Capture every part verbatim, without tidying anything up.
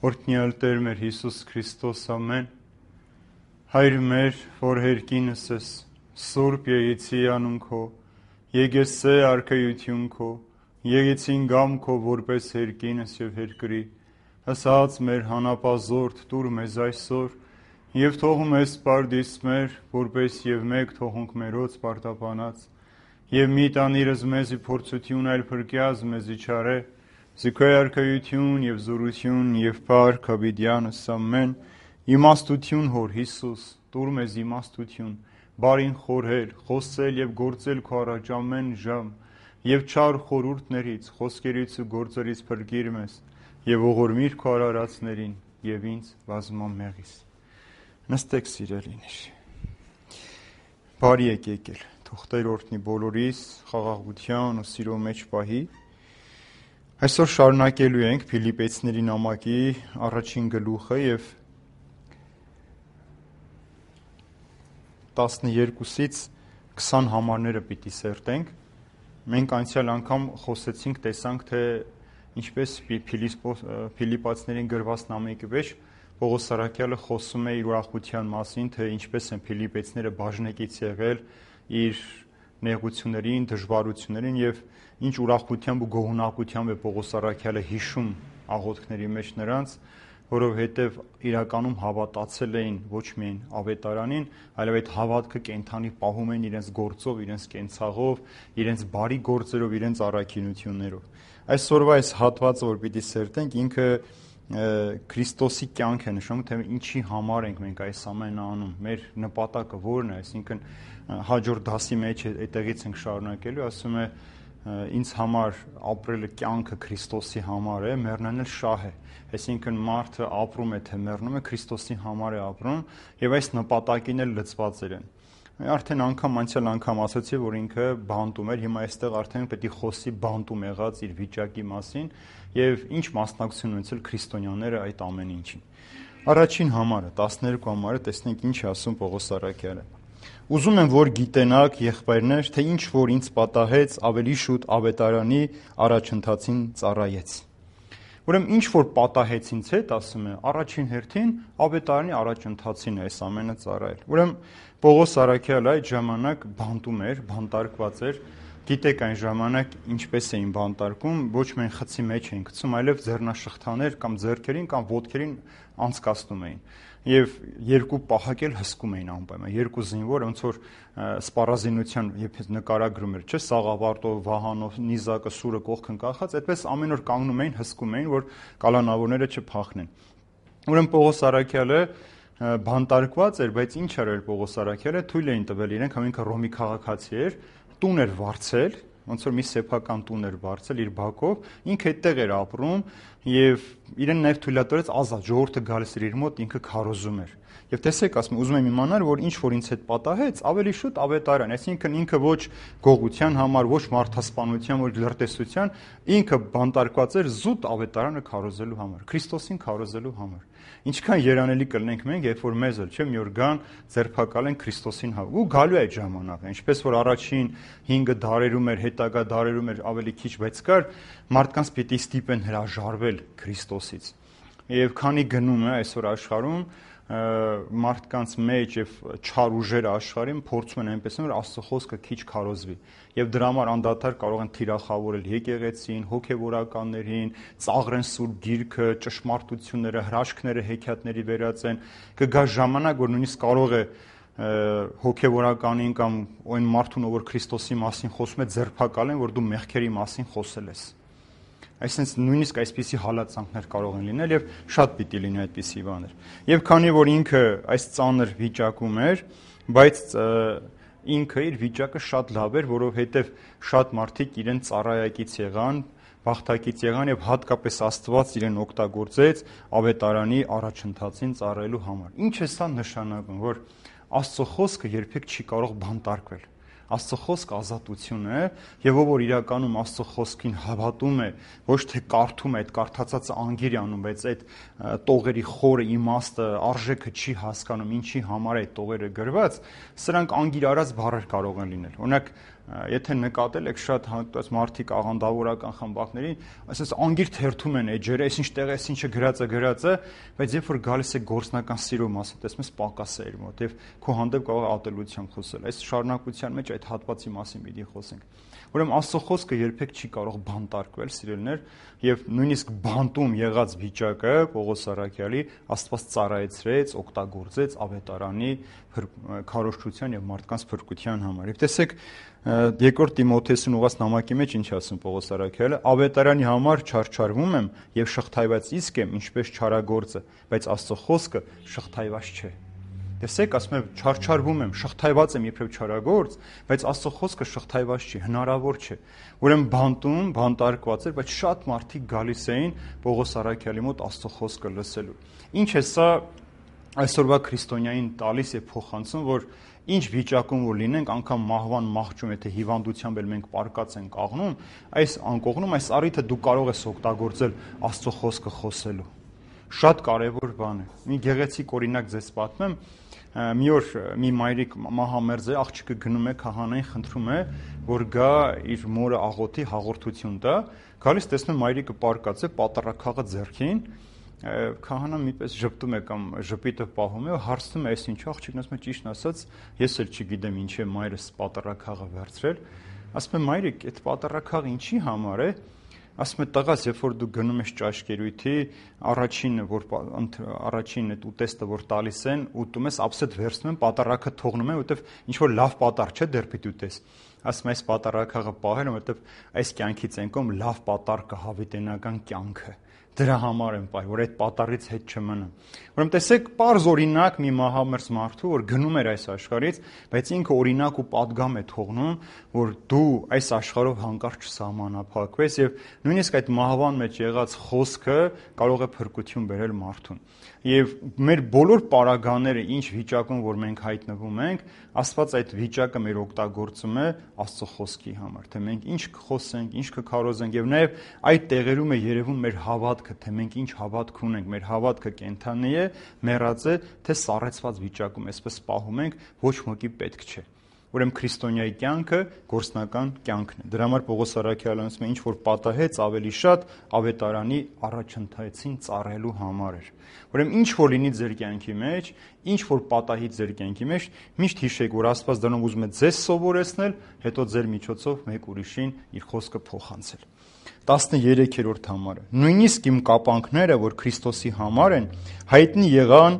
Օրհնյալ Տեր մեր Հիսուս Քրիստոս, ամեն։ Հայր մեր, որ հերկինս ես, Սուրբ եկեցի անուն քո, եկեսե արքայություն քո, եկեցին գամ քո որպես հերկինս եւ հերկրի, հսած մեր հանապազորդ տուր մեզ այսօր, եւ թող մեզ պարդիս մեր, որպես եւ մեկ թողունք մերոց պարտապանած, եւ մի տանիրս մեզի փորձություն այլ փրկյազ մեզի չարե, Զիքոյ արքայություն եւ զորություն եւ փառք հավիտյանս ամեն իմաստություն հոր Հիսուս տուր մեզ իմաստություն բարին խորհել խոսել եւ գործել քո առաջ ամեն ժամ եւ չար խորհուրդներից խոսքերից ու գործերից փրկիր մեզ եւ ողորմիր քո արարածներին եւ ինձ բազմամեղիս նստեք սիրելիներ բարի եք եկել թող Տեր օրհնի բոլորիս խաղաղության ու սիրո մեջ պահի Այսօր շարունակելու ենք Փիլիպեցիների նամակի առաջին գլուխը եւ տասներկուսից քսան համարները պիտի սերտենք։ Մենք անցյալ անգամ խոսեցինք, տեսանք, թե ինչպես Փիլիպացիներին գրված նամակի մեջ Պողոս Արաքյալը խոսում է իր ուրախության մասին, թե ինչպես են Փիլիպեցիները բաժնեկից եղել իր նեղություններին, դժվարություններին եւ ինչ ուրախությամբ ու գոհունակությամբ է Պողոս Արաքյալը հիշում աղոթքների մեջ նրանց, որովհետև իրականում հավատացել էին ոչ միայն ավետարանին, այլև այդ հավատքը կենթանի պահում են իրենց գործով, իրենց կենցաղով, իրենց բարի գործերով, իրենց առաքինություններով։ Այսօրվա այս հատվածը, որ պիտի սերտենք, ինքը Քրիստոսի կյանք է նշում, թե ինչի համար ենք մենք այս ամենը անում, մեր նպատակը որն է, այսինքն հաջորդ դասի մեջ այդտեղից ենք շարունակելու, ասում է ինձ համար ապրելը կյանքը Քրիստոսի համար է, մեռնելը շահ է, այսինքն մարդը ապրում է, թե մեռնում է, Քրիստոսի համար է ապրում եւ այս նպատակին էլ լծված են։ Արդեն անգամ անցյալ անգամ ասացի, որ ինքը բանտում էր, հիմա այստեղ արդեն պետք է խոսի բանտում եղած իր վիճակի մասին եւ ինչ մասնակցություն ունեցել քրիստոնյաները այդ ամեն ինչին։ Առաջին համարը, տասներկու համարը, տեսնենք ինչ է ասում Պողոս Արաքյալը։ Ուզում եմ, որ գիտենաք, եղբայրներ, թե ինչ որ ինձ պատահեց, ավելի շուտ ավետարանի առաջընթացին ծառայեց։ Ուրեմն ինչ որ պատահեց ինձ հետ, ասում է, առաջին հերթին ավետարանի առաջընթացին է այս ամենը ծառայել։ Ուրեմն Պողոս Արաքյալը այդ ժամանակ բանտում էր, բանտարկված էր, գիտեք այն ժամանակ ինչպես էին բանտարկում, ոչ միայն խցի մեջ էին գցում, այլև ձեռնաշղթաներ կամ ձեռքերին կամ ոտքերին անցկացնում էին։ Եվ երկու պահակ էլ հսկում էին անպայման, երկու զինվոր, ոնց որ սպառազինության երբ նկարագրում էր, չէ՞, Սաղավարտով, Վահանով, նիզակը, սուրը կողքն կախած, այդպես ամեն օր կանգնում էին, հսկում էին, որ կալանավորները չփախնեն։ Ուրեմն Պողոս Արաքյալը բանտարկված էր, բայց ինչ արել Պողոս Արաքյալը, թույլ էին տվել իրենք, համ ինքը Ռոմի քաղաքացի էր, տուն էր վարձել, ոնց որ մի սեփական տուն էր վարձել իր բակով, ինքը այդտեղ էր ապրում եւ իրեն նաեւ թույլատրեց ազատ, ժողովուրդը գալիս էր իր մոտ, ինքը քարոզում էր։ Եվ տեսեք, ասում եմ, ուզում եմ իմանալ, որ ինչ որ ինձ հետ պատահեց, ավելի շուտ ավետարան, այսինքն ինքը ոչ գողության համար, ոչ մարդասպանության, ոչ լրտեսության, ինքը բանտարկված էր զուտ ավետարանը քարոզելու համար, Քրիստոսին քարոզելու համար։ Ինչքան երանելի կլինենք մենք, երբ որ մեզ էլ չէ մի օր գան ձերբակալեն Քրիստոսին հավ։ Ու գալու է այդ ժամանակը, ինչպես որ առաջին հինգ դարերում էր, հետագա դարերում էր ավելի քիչ, բայց կար մարդկանց պիտի ստիպեն հրաժարվել Քրիստոսից։ Եվ քանի գնում է այսօր աշխարհում մարդկանց մեջ եւ չար ուժերը աշխարհին փորձում են այնպես որ Աստծո խոսքը քիչ քարոզվի եւ դրա համար անդադար կարող են թիրախավորել եկեղեցին, հոգեվորականներին, ծաղրեն սուրբ գիրքը, ճշմարտությունները, հրաշքները հեքիաթների վերածեն, կգա ժամանակ, որ նույնիսկ կարող է հոգեվորականին կամ այն մարդուն, ով որ Քրիստոսի մասին խոսում է, ձերբակալեն, որ դու մեղքերի մասին խոսել ես։ Այսինքն նույնիսկ այսպիսի հալածանքներ կարող են լինել եւ շատ պիտի լինի այդպիսի բաներ։ Եվ քանի որ ինքը այս ծանր վիճակում էր, բայց ինքը իր վիճակը շատ լավ էր, որովհետեւ շատ մարդիկ իրեն ծառայակից եղան, բախտակից եղան եւ հատկապես Աստված իրեն օգտագործեց ավետարանի առաջընթացին ծառայելու համար։ Ինչ է սա նշանակում, որ Աստծո խոսքը երբեք չի կարող բանտարկվել։ Աստծո խոսքը ազատություն է, եւ ով որ իրականում Աստծո խոսքին հավատում է, ոչ թե կարդում է, այդ կարդացածը անգիր է անում, բայց այդ տողերի խորը իմաստը, արժեքը չի հասկանում, ինչի համար է այդ տողերը գրված, սրանք անգիր արած բառեր կարող են լինել։ Օրինակ Եթե նկատել եք շատ հատված մարդիկ աղանդավորական խմբակներին, այսպես անգիր թերթում են էջերը, այս ինչ տեղ է, ինչը գրած է, գրած է, բայց երբ որ գալիս է գործնական սիրո մասը, տեսնում ես պակաս է իր մոտ եւ քո հանդեպ կարող է ատելությամբ խոսել։ Այս շարունակության մեջ այդ հատվածի մասին պիտի խոսենք։ Ուրեմն Աստծո խոսքը երբեք չի կարող բանտարկվել, սիրելիներ, եւ նույնիսկ բանտում եղած վիճակը Պողոս Առաքյալի Աստված ծառայեցրեց, օգտագործեց ավետարանի քարոզչության եւ մարդկանց փրկության համար։ Եվ տեսեք, երկրորդ Տիմոթեոսին ուղղված նամակի մեջ ինչ ասում Պողոս Առաքյալը, ավետարանի համար չարչարվում եմ եւ շղթայված իսկ եմ, ինչպես չարագործը, բայց Աստծո խոսքը շղթայված չէ։ Տեսեք, ասում եմ, չարչարվում եմ, շղթայված եմ իբրև չարագործ, բայց Աստծո խոսքը շղթայված չի, հնարավոր չէ։ Ուրեմն բանտում, բանտարկված էր, բայց շատ մարդիկ գալիս էին Պողոս Առաքյալի մոտ Աստծո խոսքը լսելու։ Ինչ է սա այսօրվա քրիստոնյային տալիս եւ փոխանցում, որ ինչ վիճակում որ լինենք, անգամ մահվան մահճում, եթե հիվանդությամբ էլ մենք պարկած ենք աղնում, այս անկողնում, այս առիթը դու կարող ես օգտագործել Աստծո խոսքը խոսելու։ Շատ կարևոր բան է։ Մի գեղեցիկ օրինակ ձեզ պատմեմ։ Մի օր մի մայրիկ մահամերձ է, աղջիկը գնում է քահանային, խնդրում է, որ գա իր մորը աղոթի, հաղորդություն տա։ Գալիս տեսնում մայրիկը պարկած է, պատառաքաղը ձեռքին, քահանան միպես ժպտում է կամ ժպիտը պահում է, հարցնում է, այս ինչ աղջիկն ասում է, ճիշտն ասած, ես էլ չգիտեմ ինչ է մայրս պատառաքաղը վերցրել։ Ասում է, մայրիկ, այդ պատառաքաղը ինչի համար է։ Ասում է, տղաս, երբ որ դու գնում ես ճաշկերույթի, առաջինը, որ առաջին այդ ուտեստը որ տալիս են, ուտում ես, ապսետ վերցնում են, պատառաքը թողնում են, որովհետև ինչ որ լավ պատառ չէ, դեռ պիտի ուտես։ Ասում է, այս պատառաքաղը պահել, որովհետև այս կյանքից ենկոմ լավ պատառ կա հավիտենական կյանքը։ Դրա համար եմ պահել, որ այդ պատառից հետ չմնա։ Ուրեմն տեսեք, պարզ օրինակ մի մահամերձ մարդու, որ գնում էր այս աշխարհից, բայց ինքը օրինակ ու պատգամ է թողնում, որ դու այս աշխարհով հանկարծ չսահմանափակվես եւ նույնիսկ այդ մահվան մեջ եղած խոսքը կարող է փրկություն բերել մարդուն։ Եվ մեր բոլոր պարագաները ինչ վիճակում որ մենք հայտնվում ենք, Աստված այդ վիճակը մեր օգտագործում է Աստծո խոսքի համար, թե մենք ինչ կխոսենք, ինչ կքարոզենք եւ նաեւ այդ տեղերում է երևում մեր հավատքը, թե մենք ինչ հավատք ունենք, մեր հավատքը կենթանի է, մեռած է, թե սառեցված վիճակում, այսպես պահում ենք, ոչ մեկի պետք չէ։ Ուրեմն քրիստոնյայի կյանքը գործնական կյանքն է։ Դրա համար Պողոս Առաքյալն ասում է, ինչ որ պատահեց ավելի շատ ավետարանի առաջընթացին ծառայելու համար էր։ Ուրեմն ինչ որ լինի ձեր կյանքի մեջ, ինչ որ պատահի ձեր կյանքի մեջ, միշտ հիշեք, որ Աստված դրանով ուզում է ձեզ սովորեցնել, հետո ձեր միջոցով մեկ ուրիշին իր խոսքը փոխանցել։ տասներեքերորդ համարը։ Նույնիսկ իմ կապանքները, որ Քրիստոսի համար են, հայտնի եղան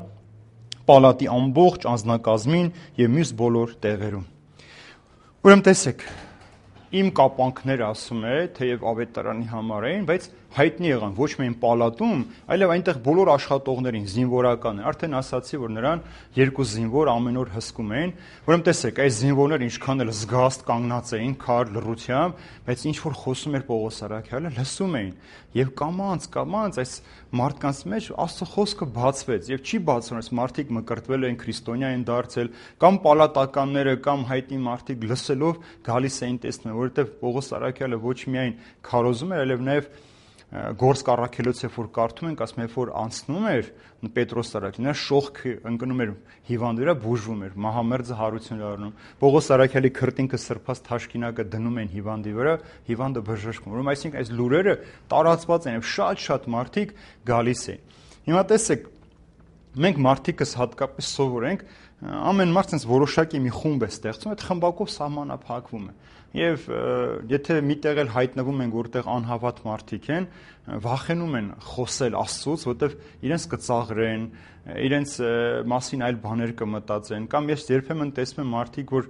պալատի ամբողջ անձնակազմին եւ մյուս բոլոր տեղերում։ Ուրեմն տեսեք, իմ կապանքները ասում է, թեև ավետարանի համար էին, բայց հայտնի եղան ոչ միայն պալատում, այլև այնտեղ բոլոր աշխատողներին, զինվորական է, արդեն ասացի, որ նրան երկու զինվոր ամեն օր հսկում էին, ուրեմն տեսեք, այս զինվորները ինչքան էլ զգաստ կանգնած էին, քար լռությամբ, բայց ինչ որ խոսում էր Պողոս Առաքյալը, լսում էին, եւ կամած, կամած այս մարդկանց մեջ Աստծո խոսքը բացվեց, եւ չի բացվում, այս մարդիկ մկրտվել են, քրիստոնյա են դարձել, կամ պալատականները, կամ հայտնի մարդիկ լսելով գալիս էին տեսնում, որովհետեւ Պողոս Առաքյալը ոչ միայն քարոզում էր, այլև նաեւ գործ կառաքելոց երբ որ կարդում ենք, ասում երբ որ անցնում էր Պետրոս Առաքյալը, նա շողքը ընկնում էր հիվանդի վրա, բուժվում էր, մահամերձը հարություն էր առնում։ Պողոս Առաքյալի քրտինքը սրբած թաշկինակը դնում են հիվանդի վրա, հիվանդը բժշկվում։ Ուրեմն այսինքն այս լուրերը տարածված են եւ շատ-շատ մարդիկ գալիս են։ Հիմա տեսեք, մենք մարդիկս հատկապես սովոր ենք, ամեն մարդ sense որոշակի մի խումբ է ստեղծում, այդ խմբակով սահմանափակվում է։ Եվ եթե միտեղ էլ հայտնվում են, որտեղ անհավատ մարդիկ են, վախենում են խոսել Աստծուց, որտեղ իրենց կծաղրեն, իրենց մասին այլ բաներ կմտածեն, կամ ես երբեմն տեսնում եմ մարդիկ, որ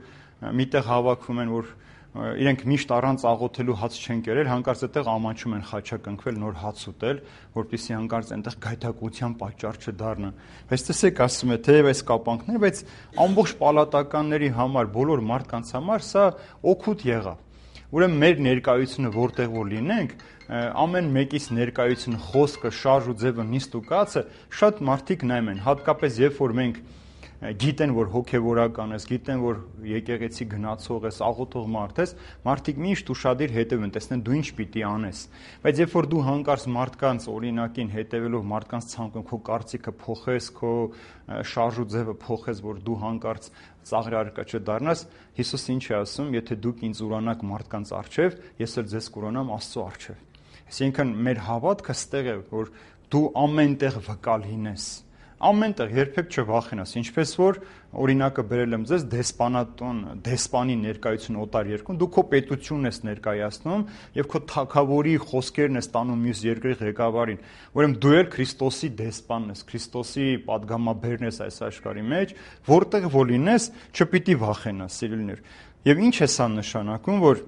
միտեղ հավաքվում են, որ իրենք միշտ առանց աղոթելու հաց չեն կերել, հանկարծ այդտեղ ամանչում են խաչակնքվել, նոր հաց ուտել, որպեսզի հանկարծ այնտեղ գայթակղության պատճառ չդառնա։ Բայց տեսեք, ասում է, թեև այս կապանքներ, բայց ամբողջ պալատականների համար, բոլոր մարդկանց համար սա օգուտ եղավ։ Ուրեմն մեր ներկայությունը որտեղ որ լինենք, ամեն մեկից ներկայությունը, խոսքը, շարժ ու ձևը, նիստ ու կացը շատ մարդիկ նայում են, հատկապես երբ որ մենք գիտեն, որ հոգևորական ես, գիտեն, որ եկեղեցի գնացող ես, աղոթող մարդ ես, մարդիկ միշտ ուշադիր հետևեն, տեսնեն դու ինչ պիտի անես։ Բայց երբ որ դու հանկարծ մարդկանց օրինակին հետևելով, մարդկանց ցանկում քո կարծիքը փոխես, քո շարժ ու ձևը փոխես, որ դու հանկարծ ծաղր արկա չդառնաս, Հիսուսը ինչ է ասում, եթե դուք ինձ ուրանաք մարդկանց առջև, ես էլ ձեզ կուրանամ Աստծո առջև։ Այսինքն մեր հավատքը ստեղ է, որ դու ամենտեղ վկա լինես, ամենտեղ երբեք չվախենաս, ինչպես որ օրինակը բերել եմ ձեզ դեսպանատուն, դեսպանի ներկայություն օտար երկրում, դու քո պետությունն ես ներկայացնում եւ քո թագավորի խոսքերն ես տանում մյուս երկրի ղեկավարին, ուրեմն դու էլ Քրիստոսի դեսպանն ես, Քրիստոսի падգամաբերն ես այս աշխարհի մեջ, որտեղ որ լինես, չպիտի վախենաս, սիրելիներ։ Եվ ինչ է սա նշանակում, որ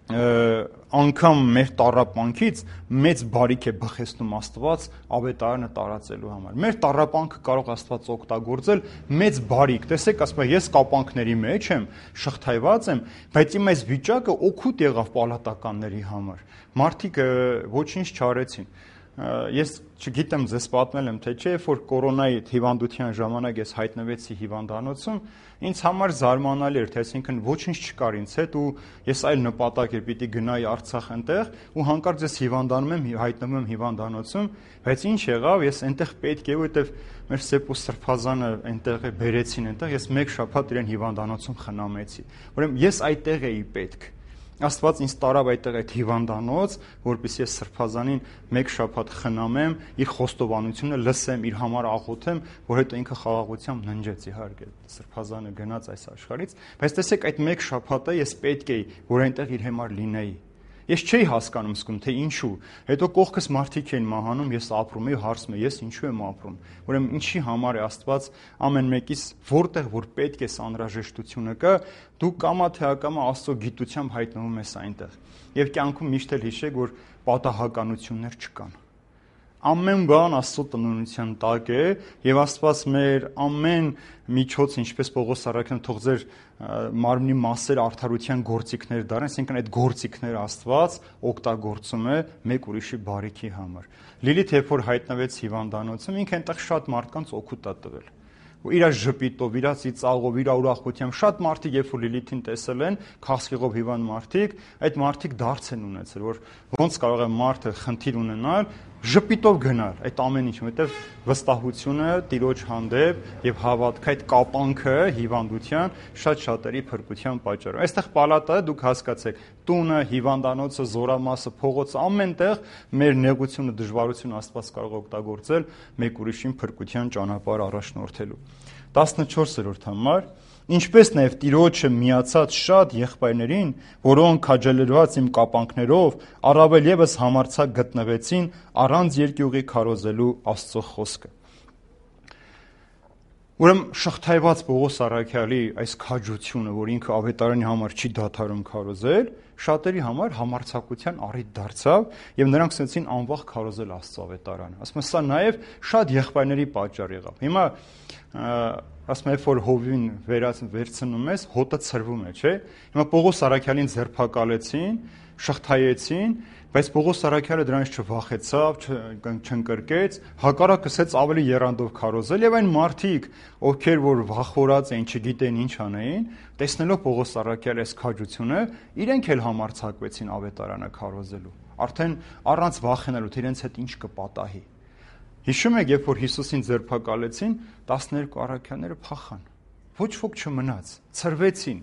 անգամ մեր տառապանքից մեծ բարիք է բխեցնում Աստված ավետարանը տարածելու համար։ Մեր տառապանքը կարող Աստված օգտագործել մեծ բարիք։ Տեսեք, ասում եմ, ես կապանքների մեջ եմ, շղթայված եմ, բայց իմ այս վիճակը օգուտ եղավ պալատականների համար։ Մարդիկ ոչինչ չարեցին։ Ես չգիտեմ ձեզ պատմել եմ թե չէ, որ կորոնայի հիվանդության ժամանակ ես հայտնվեցի հիվանդանոցում, ինձ համար զարմանալի էր, թե այսինքն ոչինչ չկար ինձ հետ ու ես այլ նպատակ էր պիտի գնայի Արցախ այնտեղ ու հանկարծ ես հիվանդանում եմ, հայտնվում եմ հիվանդանոցում, բայց ինչ եղավ, ես այնտեղ պետք է, որովհետև մեր Սեպո Սրբազանը այնտեղ է բերեցին այնտեղ, ես մեկ շաբաթ իրեն հիվանդանոցում խնամեցի։ Ուրեմն ես այդտեղ էի պետք։ Աստված ինձ տարավ այդտեղ այդ հիվանդանոց, որպեսզի ես Սրբազանին մեկ շաբաթ խնամեմ, իր խոստովանությունը լսեմ, իր համար աղոթեմ, որ հետո ինքը խաղաղությամբ ննջեց, իհարկե, Սրբազանը գնաց այս աշխարհից, բայց տեսեք այդ մեկ շաբաթը ես պետք էի, որ այնտեղ իր համար լինեի։ Ես չէի հասկանում սկում, թե ինչու։ Հետո կողքս մարդիկ էին մահանում, ես ապրում էի, հարցում եմ, ես ինչու եմ ապրում։ Ուրեմն ինչի համար է Աստված ամեն մեկից որտեղ որ պետք է անհրաժեշտությունը կա, դու կամա թե ակամա Աստծո գիտությամբ հայտնվում ես այնտեղ։ Եվ կյանքում միշտ էլ հիշեք, որ պատահականություններ չկան։ Ամեն բան Աստծո տնօրինության տակ է եւ Աստված մեր ամեն միջոց, ինչպես Պողոս առաքյալն թող ձեր մարմնի մասեր արդարության գործիքներ դառնան, այսինքն այդ գործիքները Աստված օգտագործում է մեկ ուրիշի բարիքի համար։ Լիլիթ երբ որ հայտնվեց հիվանդանոցում, ինքը այնտեղ շատ մարդկանց օգուտ է տվել։ Ու իր ժպիտով, իր ծիծաղով, իր ուրախությամբ շատ մարդիկ երբ որ Լիլիթին տեսել են, քաղցկեղով հիվանդ մարդիկ, այդ մարդիկ դարձ են ունեցել, որ ոնց կարող է մարդը խնդիր ունենալ, ժպիտով գնալ այդ ամեն ինչ, որովհետև վստահությունը Տիրոջ հանդեպ եւ հավատքը, այդ կապանքը հիվանդության շատ շատերի փրկության պատճառ է։ Այստեղ պալատը դուք հասկացեք, տունը, հիվանդանոցը, զորամասը, փողոցը, ամենտեղ մեր նեղությունը, դժվարությունը Աստված կարող է օգտագործել մեկ ուրիշին փրկության ճանապարհ առաջնորդելու։ տասնչորսերորդ համար Ինչպես նաև Տիրոջը միացած շատ եղբայրներին, որոնք քաջալերված իմ կապանքներով, առավել ևս համարձակ գտնվեցին առանց երկյուղի քարոզելու Աստծո խոսքը։ Ուրեմն շղթայված Պողոս առաքյալի այս քաջությունը, որ ինքը ավետարանի համար չի դադարում քարոզել, շատերի համար համարձակության առիթ դարձավ եւ նրանք սկսեցին անվախ քարոզել Աստծո ավետարանը։ Ասում եմ, սա նաեւ շատ եղբայրների պատճառ եղավ։ Հիմա ասում եմ, որ հովին վերցնում ես, հոտը ցրվում է, չէ՞։ Հիմա Պողոս առաքյալին ձերբակալեցին, շղթայեցին, բայց Պողոս առաքյալը դրանից չվախեցավ, չընկրկեց, հակառակը սկսեց ավելի եռանդով քարոզել եւ այն մարդիկ, ովքեր որ վախորած էին, չգիտեն ինչ անեին, տեսնելով Պողոս առաքյալի այս քաջությունը, իրենք էլ համարձակվեցին ավետարանը քարոզելու։ Արդեն առանց վախենալու, թե իրենց հետ ինչ կպատահի։ Հիշում եք, երբ որ Հիսուսին ձերբակալեցին, տասներկու առաքյալները փախան։ Ոչ ոք չմնաց, ցրվեցին։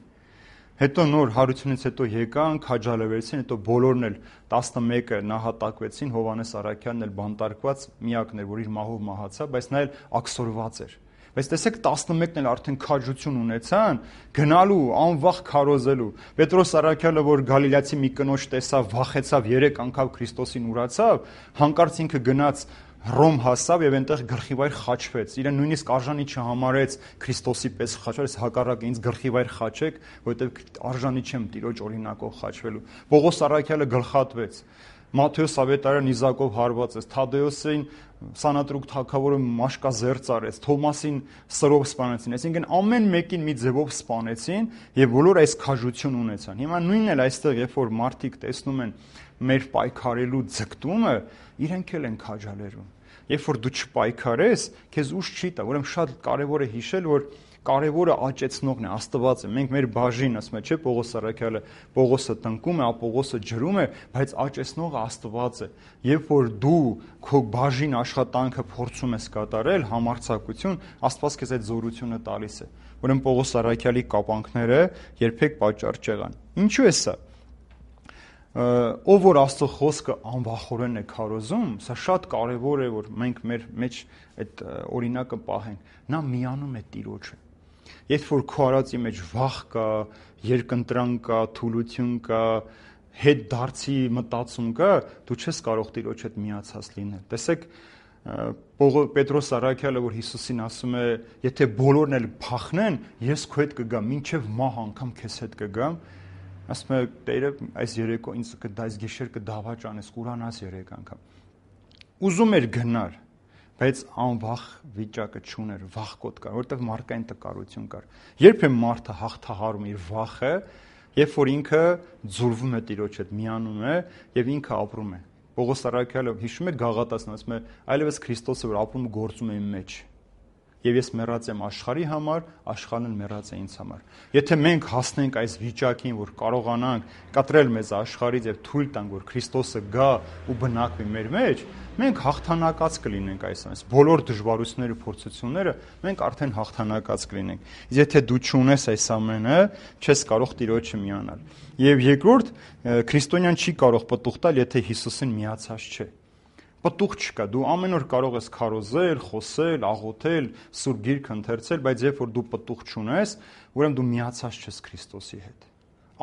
Հետո նոր հարությունից հետո եկան, քաջալերվեցին, հետո բոլորն էլ տասնմեկը նահատակվեցին, Հովհաննես առաքյալն էլ բանտարկված միակն էր, որ իր մահով մահացավ, բայց նա էլ աքսորված էր։ Բայց տեսեք տասնմեկն էլ արդեն քաջություն ունեցան գնալու, անվախ քարոզելու։ Պետրոս առաքյալը, որ գալիլացի մի կնոջ տեսավ, վախեցավ, երեք անգամ Քրիստոսին ուրացավ, հանկարծ ինքը գնաց Հռոմ հասավ եւ այնտեղ գլխիվայր խաչվեց։ Իրեն նույնիսկ արժանի չհամարեց Քրիստոսի պես խաչվել, հակառակը ինձ գլխիվայր խաչեք, որովհետեւ արժանի չեմ Տիրոջ օրինակով խաչվելու։ Պողոս առաքյալը գլխատվեց։ Մատթեոս ավետարան նիզակով հարվածեց, Թադեոսին Սանատրուկ թագավորը մաշկազերծ արեց, Թոմասին սրով սպանեցին, այսինքն ամեն մեկին մի ձևով սպանեցին եւ բոլոր այս քաջություն ունեցան։ Հիմա նույնն էլ այստեղ, երբ որ մարդիկ տեսնում են մեր պայքարելու ձգտումը, իրենք էլ են քաջալերում։ Երբ որ դու չպայքարես, քեզ ուժ չի տա, ուրեմն շատ կարևոր է հիշել, որ կարևորը աճեցնողն է, Աստված է։ Մենք մեր բաժին, ասում է, չէ, Պողոս առաքյալը, Պողոսը տնկում է, Ապողոսը ջրում է, բայց աճեցնողը Աստված է։ Երբ որ դու քո բաժին աշխատանքը փորձում ես կատարել, համարձակություն, Աստված քեզ այդ զորությունը տալիս է։ Ուրեմն Պողոս Առաքյալի կապանքները երբեք պատճառ չեղան։ Ինչու է սա։ Ով որ Աստծո խոսքը անվախորեն է քարոզում, սա շատ կարևոր է, որ մենք մեր մեջ այդ օրինակը պահենք։ Նա միանում է Տիրոջը։ Երբ որ քո արածի մեջ վախ կա, երկընտրանք կա, թուլություն կա, հետ դարձի մտածում կա, դու չես կարող Տիրոջ հետ միացած լինել։ Տեսեք, Պետրոս Առաքյալը, որ Հիսուսին ասում է, եթե բոլորն էլ փախնեն, ես քո հետ կգամ, մինչև մահ անգամ քեզ հետ կգամ, ասում է Տերը այս երեկո ինձ կդայս գիշեր կդավաճ անես, կուրանաս երեք անգամ։ Ուզում էր գնար, բայց անվախ վիճակը չուներ, վախկոտ կար, որովհետև մարդկային տկարություն կար։ Երբ է մարդը հաղթահարում իր վախը, երբ որ ինքը ձուլվում է Տիրոջ հետ, միանում է եւ ինքը ապրում է։ Պողոս Առաքյալը հիշում է Գաղատացն, ասում է, այլևս Քրիստոսը որ ապրում գործում է իմ մեջ։ Եվ ես մեռած եմ աշխարհի համար, աշխարհն էլ մեռած է ինձ համար։ Եթե մենք հասնենք այս վիճակին, որ կարողանանք կտրել մեզ աշխարհից եւ թույլ տանք, որ Քրիստոսը գա ու բնակվի մեր մեջ, մենք հաղթանակած կլինենք այս ամենից։ Բոլոր դժվարությունները ու փորձությունները մենք արդեն հաղթանակած կլինենք։ Եթե դու չունես այս ամենը, չես կարող Տիրոջը միանալ։ Եվ երկրորդ, քրիստոնյան չի կարող պտուղ տալ, եթե Հիսուսին միացած չէ։ Պտուղ չկա, դու ամեն օր կարող ես քարոզել, խոսել, աղոթել, սուրբ գիրք ընթերցել, բայց երբ որ դու պտուղ չունես, ուրեմն դու միացած չես Քրիստոսի հետ։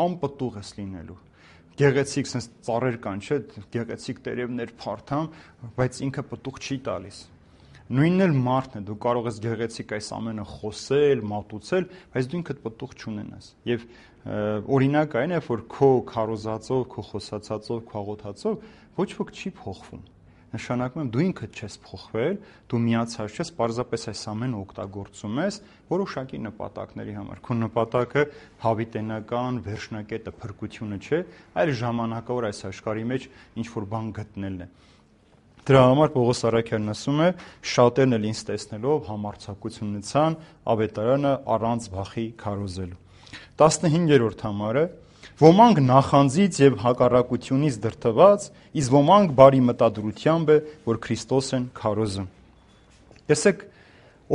Անպտուղ ես լինելու։ Գեղեցիկ sense ծառեր կան, չէ՞, գեղեցիկ տերևներ, փարթամ, բայց ինքը պտուղ չի տալիս։ Նույնն էլ մարդն է, դու կարող ես գեղեցիկ այս ամենը խոսել, մատուցել, բայց դու ինքդ պտուղ չունենաս։ Եվ օրինակ այն է, որ քո քարոզածով, քո խոսածածով, քո աղոթածով ոչ ոք չի փոխվում։ Նշանակում է դու ինքդ չես փոխվել, դու միացած չես, պարզապես այս ամենը օգտագործում ես որոշակի նպատակների համար։ Քո նպատակը հավիտենական վերջնակետը փրկությունը չէ, այլ ժամանակավոր այս աշխարհի մեջ ինչ որ բան գտնելն է։ Դրա համար Պողոս Առաքյալն ասում է. շատերն էլ ինձ տեսնելով համարձակություն ունեցան ավետարանը առանց վախի քարոզելու։ տասնհինգերորդ համարը Ոմանք նախանձից եւ հակառակությունից դրդված, իսկ ոմանք բարի մտադրությամբ է, որ Քրիստոս են քարոզում։ Տեսեք,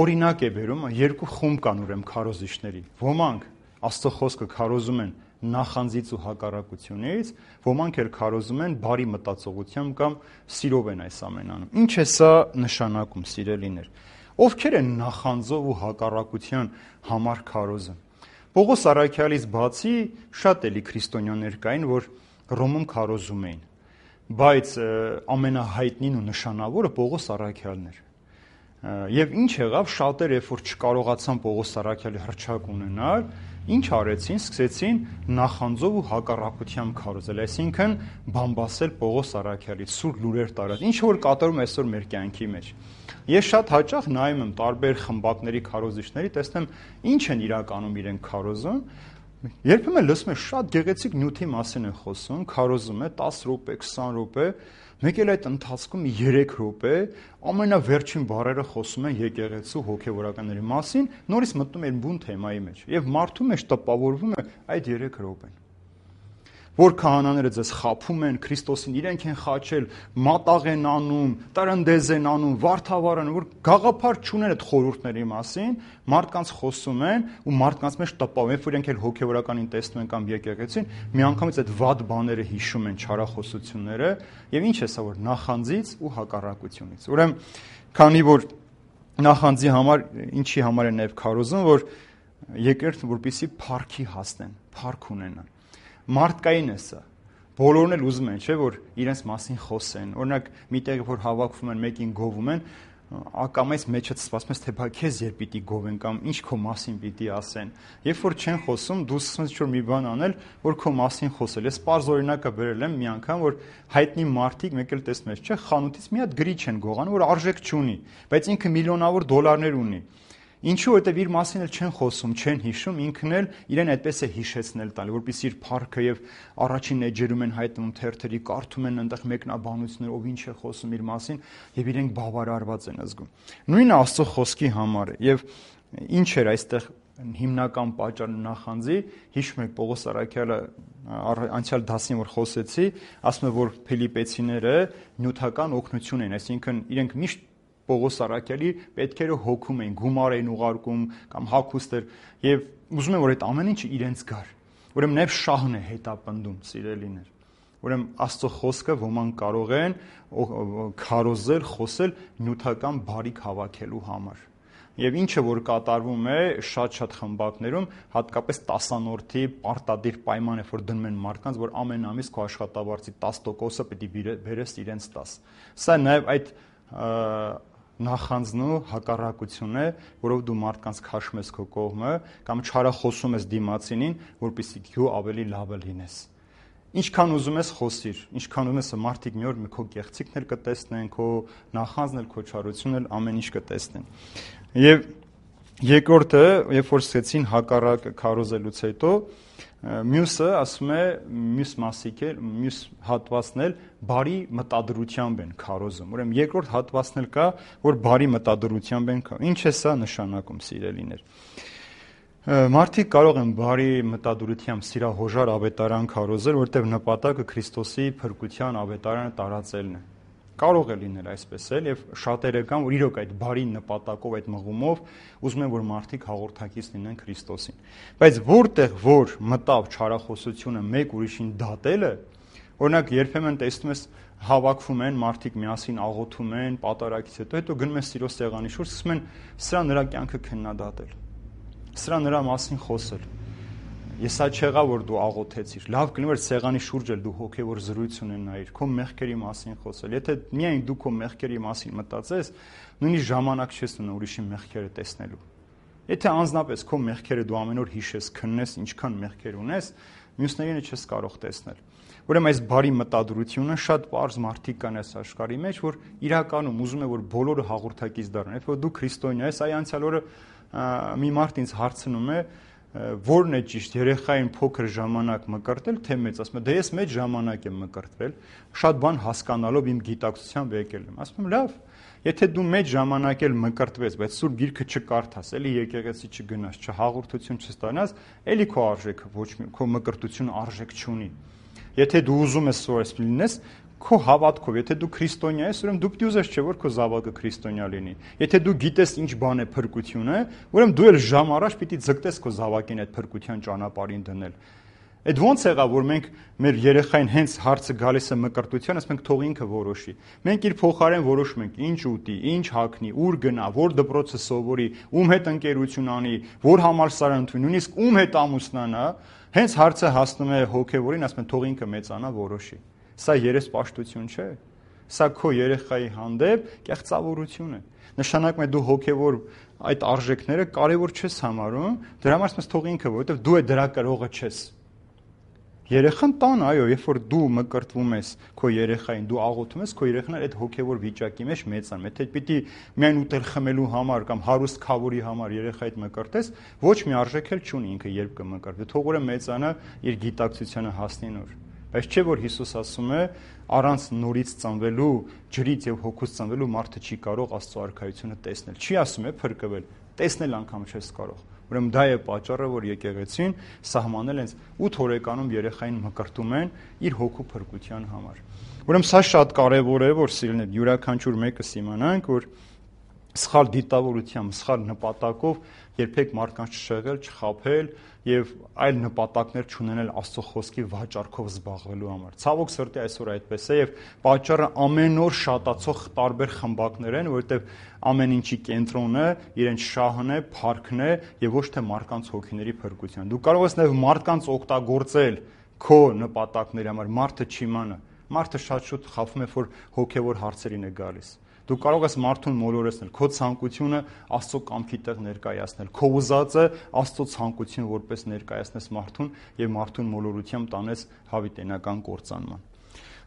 օրինակ է բերում, երկու խումբ կան ուրեմն քարոզիչների։ Ոմանք Աստծո խոսքը քարոզում են նախանձից ու հակառակությունից, ոմանք էլ քարոզում են բարի մտածողությամբ կամ սիրով են այս ամենը անում։ Ինչ է սա նշանակում, սիրելիներ։ Ովքեր են նախանձով ու հակառակության համար քարոզում։ Պողոս Առաքյալից բացի շատ էլի քրիստոնյաներ կային, որ Ռոմում քարոզում էին, բայց ամենահայտնին ու նշանավորը Պողոս Առաքյալն էր։ Եվ ինչ եղավ, շատեր երբ որ չկարողացան Պողոս Առաքյալի հռչակ ունենալ, ինչ արեցին, սկսեցին նախանձով ու հակառակությամբ քարոզել, այսինքն բամբասել Պողոս Առաքյալից, սուր լուրեր տարած, ինչ որ կատարում այսօր մեր կյանքի մեջ։ Ես շատ հաճախ նայում եմ տարբեր խմբակների քարոզիչների, տեսնեմ ինչ են իրականում իրենք քարոզում, երբեմն լսում եմ շատ գեղեցիկ նյութի մասին են խոսում, քարոզում է տասը րոպե, քսան րոպե, մեկ էլ այդ ընթացքում երեք րոպե ամենավերջին բառերը խոսում են եկեղեցու հոգևորականների մասին, նորից մտնում են բուն թեմայի մեջ եւ մարդու մեջ տպավորվում է այդ երեք րոպեն։ Որ քահանաները ձեզ խափում են, Քրիստոսին իրենք են խաչել, մատաղ են անում, տրնդեզ են անում, վարդավառ են, որ գաղափար չունեն այդ խորհուրդների մասին, մարդկանց խոսում են ու մարդկանց մեջ տպավորում, երբ որ իրենք էլ հոգևորականին տեսնում են կամ եկեղեցին, միանգամից այդ վատ բաները հիշում են, չարախոսությունները, եւ ինչ է սա, որ նախանձից ու հակառակությունից։ Ուրեմն, քանի որ նախանձի համար, ինչի համար են նաեւ քարոզում, որ եկեղեցին որպեսզի փառքի հասնեն, փառք ունենան։ Մարդկային է սա։ Բոլորն էլ ուզում են, չէ, որ իրենց մասին խոսեն։ Օրինակ, միտեղ որ հավաքվում են, մեկին գովում են, ակամայից մեջը սպասում ես, թե բա քեզ երբ պիտի գովեն կամ ինչ քո մասին պիտի ասեն։ Երբ որ չեն խոսում, դու սկսում ես ինչ-որ մի բան անել, որ քո մասին խոսել։ Ես պարզ օրինակը բերել եմ մի անգամ, որ հայտնի մարդիկ մեկ էլ տեսնում ես, չէ, խանութից մի հատ գրիչ են գողանում, որ արժեք չունի, բայց ինքը միլիոնավոր դոլարներ ունի։ Ինչու, որտեվ իր մասին էլ չեն խոսում, չեն հիշում, ինքն էլ իրեն այդպես է հիշեցնել տալի, որպեսզի իր փառքը եւ առաջին էջերում են հայտնում թերթերի, կարդում են այնտեղ մեկնաբանություններ, ով ինչ է խոսում իր մասին եւ իրենք բավարարված են զգում։ Նույնը Աստծո խոսքի համար է եւ ինչ էր այստեղ հիմնական պատճառը նախանձի, հիշում եք Պողոս Առաքյալը անցյալ դասին որ խոսեցի, ասում է որ Ֆիլիպեցիները նյութական օգնություն են, այսինքն իրենք միշտ Պողոս Արաքյալի պետքերը հոգում էին, գումար էին ուղարկում կամ հագուստեր եւ ուզում են որ այդ ամեն ինչը իրենց գար։ Ուրեմն Նեև շահն է հետապնդում, սիրելիներ։ Ուրեմն Աստծո խոսքը ոմանք կարող են քարոզել, խոսել նյութական բարիք հավաքելու համար։ Եվ ինչը որ կատարվում է շատ-շատ խմբակներում, հատկապես տասանորդի պարտադիր պայման է, որ դնում են մարդկանց, որ ամեն ամիս քո աշխատավարձի տասը տոկոսը պետք է բերես իրենց տաս։ Սա նաև այդ նախանձն ու հակառակությունն է, որով դու մարդկանց քաշում ես քո կողմը կամ չարախոսում ես դիմացինին, որպեսզի դու ավելի լավը լինես։ Ինչքան ուզում ես խոսիր, ինչքան ուզում ես մարդիկ մի օր քո կեղծիքն էլ կտեսնեն, քո նախանձն էլ, քո չարությունն էլ, ամեն ինչ կտեսնեն։ Եվ երկրորդը, երբ որ սկսեցին հակառակ քարոզելուց հետո, մյուսը ասում է, մյուս մասիկ է, մյուս հատվածն էլ բարի մտադրությամբ են քարոզում։ Ուրեմն երկրորդ հատվածն էլ կա, որ բարի մտադրությամբ են քարոզում։ Ինչ է սա նշանակում, սիրելիներ։ Մարդիկ կարող են բարի մտադրությամբ սիրահոժար ավետարան քարոզել, որտեղ նպատակը Քրիստոսի փրկության ավետարանը տարածելն է։ Կարող է լինել այսպես էլ եւ շատերը կան, որ իրոք այդ բարի նպատակով, այդ մղումով ուզում են, որ մարդիկ հաղորդակից լինեն Քրիստոսին։ Բայց որտեղ որ մտավ չարախոսությունը մեկ ուրիշին դատելը, օրինակ երբեմն տեսնում ես հավաքվում են մարդիկ միասին աղոթում են, պատարագից հետո հետո գնում են սիրո սեղանի շուրջ, սկսում են սրա նրա կյանքը քննադատել։ Սրա նրա մասին խոսել։ Ես սա չեղա որ դու աղոթեցիր։ Լավ կլինի որ սեղանի շուրջ էլ դու հոգևոր զրույց ունենայիր, քո մեղքերի մասին խոսել։ Եթե միայն դու քո մեղքերի մասին մտածես, նույնիսկ ժամանակ չես ունենա ուրիշի մեղքերը տեսնելու։ Եթե անձնապես քո մեղքերը դու ամեն օր հիշես, քննես, ինչքան մեղքեր ունես, մյուսներին չես կարող տեսնել։ Ուրեմն այս բարի մտադրությունը շատ པարզ մարդիկ կան այս աշխարհի մեջ, որ իրականում ուզում է որ բոլորը հաղորդակից դառնան։ Եթե դու քրիստոնյա ես, այ անցյալ օրը մի մարդ ինձ հարցնում է, որն է ճիշտ, երեխային փոքր ժամանակ մկրտել, թե մեծ, ասում եմ, դե ես մեծ ժամանակ եմ մկրտվել, շատ բան հասկանալով իմ գիտակցությամբ եկել եմ։ Ասում եմ, լավ, եթե դու մեծ ժամանակ էլ մկրտվես, բայց Սուրբ Գիրքը չկարդաս, էլի եկեղեցի չգնաս, չհաղորդություն չստանաս, էլի քո արժեքը ոչ մի քո մկրտությունը արժեք չունի։ Եթե դու ուզում ես որ այսպես լինես, քո հավատքով, եթե դու քրիստոնյա ես, ուրեմն դու պիտի ուզես չէ որ քո զավակը քրիստոնյա լինի։ Եթե դու գիտես ինչ բան է փրկությունը, ուրեմն դու էլ ժամ առաջ պիտի ձգտես քո զավակին այդ փրկության ճանապարհին դնել։ Այդ ոնց եղավ որ մենք մեր երեխային հենց հարցը գալիս է մկրտության, ասենք թող ինքը որոշի։ Մենք իր փոխարեն որոշում ենք ինչ ուտի, ինչ հագնի, ուր գնա, որ դպրոցը սովորի, ում հետ ընկերություն անի, որ համալսարան ընդունի, նույնիսկ ում հետ ամուսնանա, հենց հարցը հասնում է հոգևորին, ասում են թող ինքը մեծանա, որոշի։ Սա երեսպաշտություն չէ։ Սա քո երեխայի հանդեպ կեղծավորություն է։ Նշանակում է դու հոգևոր այդ արժեքները կարևոր չես համարում, դրա համար ասես թող ինքը, որովհետև դու է դրա կրողը չես։ Երեխան տան, այո, երբ որ դու մկրտվում ես քո երեխային, դու աղոթում ես, քո երեխան այդ հոգևոր վիճակի մեջ մեծանում։ Եթե պիտի միայն ուտել խմելու համար կամ հարուստ քավորի համար երեխայիդ մկրտես, ոչ մի արժեք էլ չունի ինքը երբ կմկրտվի։ Թող ուրեմն մեծանա իր գիտակցությանը հասնի նոր։ Բայց չէ որ Հիսուս ասում է առանց նորից ծնվելու, ջրից եւ հոգուց ծնվելու մարդը չի կարող Աստծո արքայությունը տեսնել։ Չի ասում է փրկվել, տեսնել անգամ չես կարող։ Ուրեմն դա է պատճառը, որ եկեղեցին սահմանել հենց ութ օրեկանում երեխային մկրտում են իր հոգու փրկության համար։ Ուրեմն սա շատ կարևոր է, որ սիրելիներ յուրաքանչյուր մեկը իմանանք, որ սխալ դիտավորությամբ, սխալ նպատակով երբեք մարդկանց չշեղել, չխաբել եւ այլ նպատակներ չունենալ Աստծո խոսքի վաճառքով զբաղվելու համար։ Ցավոք սրտի այսօր այդպես է եւ պատճառը ամեն օր շատացող տարբեր խմբակներ են, որովհետեւ ամեն ինչի կենտրոնը իրենց շահն է, փառքն է եւ ոչ թե մարդկանց հոգիների փրկության։ Դու կարող ես նաեւ մարդկանց օգտագործել քո նպատակների համար, մարդը չիմանա։ Մարդը շատ շուտ խաբում է, որ հոգեվոր հարցերին է գալիս։ Դու կարող ես մարդուն մոլորեցնել, քո ցանկությունը Աստծո կամքի տեղ ներկայացնել, քո ուզածը Աստծո ցանկությունը որպես ներկայացնես մարդուն եւ մարդուն մոլորությամբ տանես հավիտենական կործանման։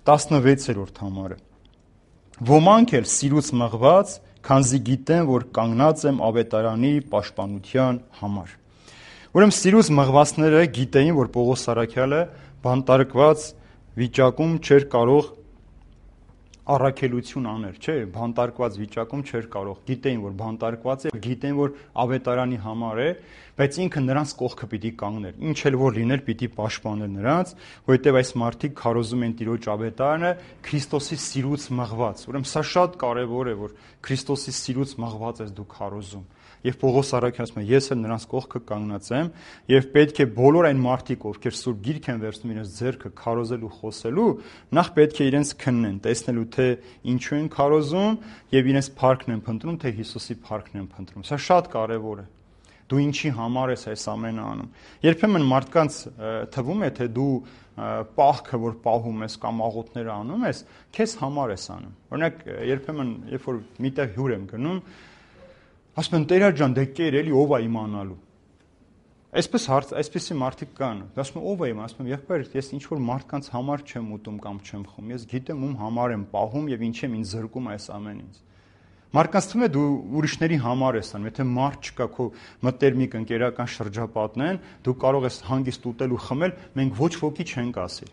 տասնվեցերորդ համարը։ Ոմանք էլ սիրուց մղված, քանզի գիտեն, որ կանգնած եմ ավետարանի պաշտպանության համար։ Ուրեմն սիրուց մղվածները գիտեին, որ Պողոս Արաքյալը բանտարկված վիճակում չէր կարող առաքելություն աներ, չէ, բանտարկված վիճակում չէր կարող։ Գիտեին, որ բանտարկված է, գիտեին, որ ավետարանի համար է, բայց ինքը նրանց կողքը պիտի կանգներ։ Ինչ էլ որ լիներ, պիտի պաշտպաներ նրանց, որովհետև այս մարդիկ քարոզում են Տիրոջ ավետարանը Քրիստոսի սիրուց մղված։ Ուրեմն սա շատ կարևոր է, որ Քրիստոսի սիրուց մղված ես դու քարոզում։ Եվ Պողոս առաքյալն ասում է, ես էլ նրանց կողքը կանգնած եմ, եւ պետք է բոլոր այն մարդիկ, ովքեր սուրբ գիրք են վերցնում իրենց ձեռքը քարոզելու, խոսելու, նախ պետք է իրենց քննեն, տեսնելու թե ինչու են քարոզում եւ իրենց փառքն են փնտրում, թե Հիսուսի փառքն են փնտրում։ Սա շատ կարեւոր է։ Դու ինչի համար ես այս ամենը անում։ Երբեմն մարդկանց թվում է, թե դու պահքը, որ պահում ես կամ աղոթները անում ես, քեզ համար ես անում։ Օրինակ, երբեմն, երբ որ միտեղ հյուր եմ գնում, ասում են Տեր ջան, դե կեր էլի ով է իմանալու։ Այսպես հարց, այսպեսի մարդիկ կան։ Ասում են ով է իմանալու, ասում եմ եղբայր, ես ինչ որ մարդկանց համար չեմ ուտում կամ չեմ խմում, ես գիտեմ ում համար եմ պահում եւ ինչ եմ ինձ զրկում այս ամենից։ Մարդկանց թվում է դու ուրիշների համար ես անում, եթե մարդ չկա քո մտերմիկ ընկերական շրջապատն են, դու կարող ես հանգիստ ուտել ու խմել, մենք ոչ ոքի չենք ասի։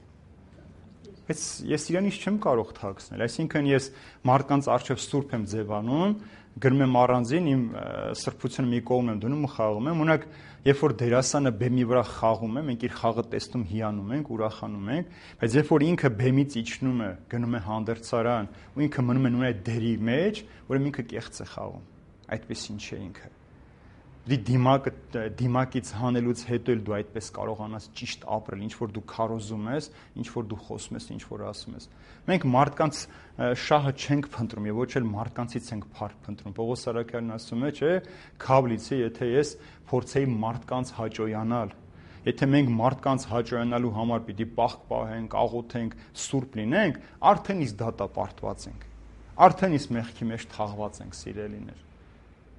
Բայց ես իրանից չեմ կարող թաքցնել, այսինքն ես մարդկանց առջև սուրբ եմ ձևանում, գրում եմ առանձին, իմ սրբությունը մի կողմ եմ դնում ու խաղում եմ, ունակ երբ որ դերասանը բեմի վրա խաղում է, մենք իր խաղը տեսնում հիանում ենք, ուրախանում ենք, բայց երբ որ ինքը բեմից իջնում է, գնում է հանդերձարան ու ինքը մնում է նույն այդ դերի մեջ, ուրեմն ինքը կեղծ է խաղում։ Այդպեսին չէ ինքը։ Դի դիմակը դիմակից հանելուց հետո էլ դու այդպես կարողանաս ճիշտ ապրել, ինչ որ դու քարոզում ես, ինչ որ դու խոսում ես, ինչ որ ասում ես։ Մենք մարդկանց շահը չենք փնտրում եւ ոչ էլ մարդկանցից ենք փառք փնտրում։ Պողոս առաքյալն ասում է, չէ, քավլիցի, եթե ես փորձեի մարդկանց հաճոյանալ, եթե մենք մարդկանց հաճոյանալու համար պիտի պահք պահենք, աղոթենք, սուրբ լինենք, արդեն իսկ դատապարտված ենք։ Արդեն իսկ մեղքի մեջ թաղված ենք, սիրելիներ։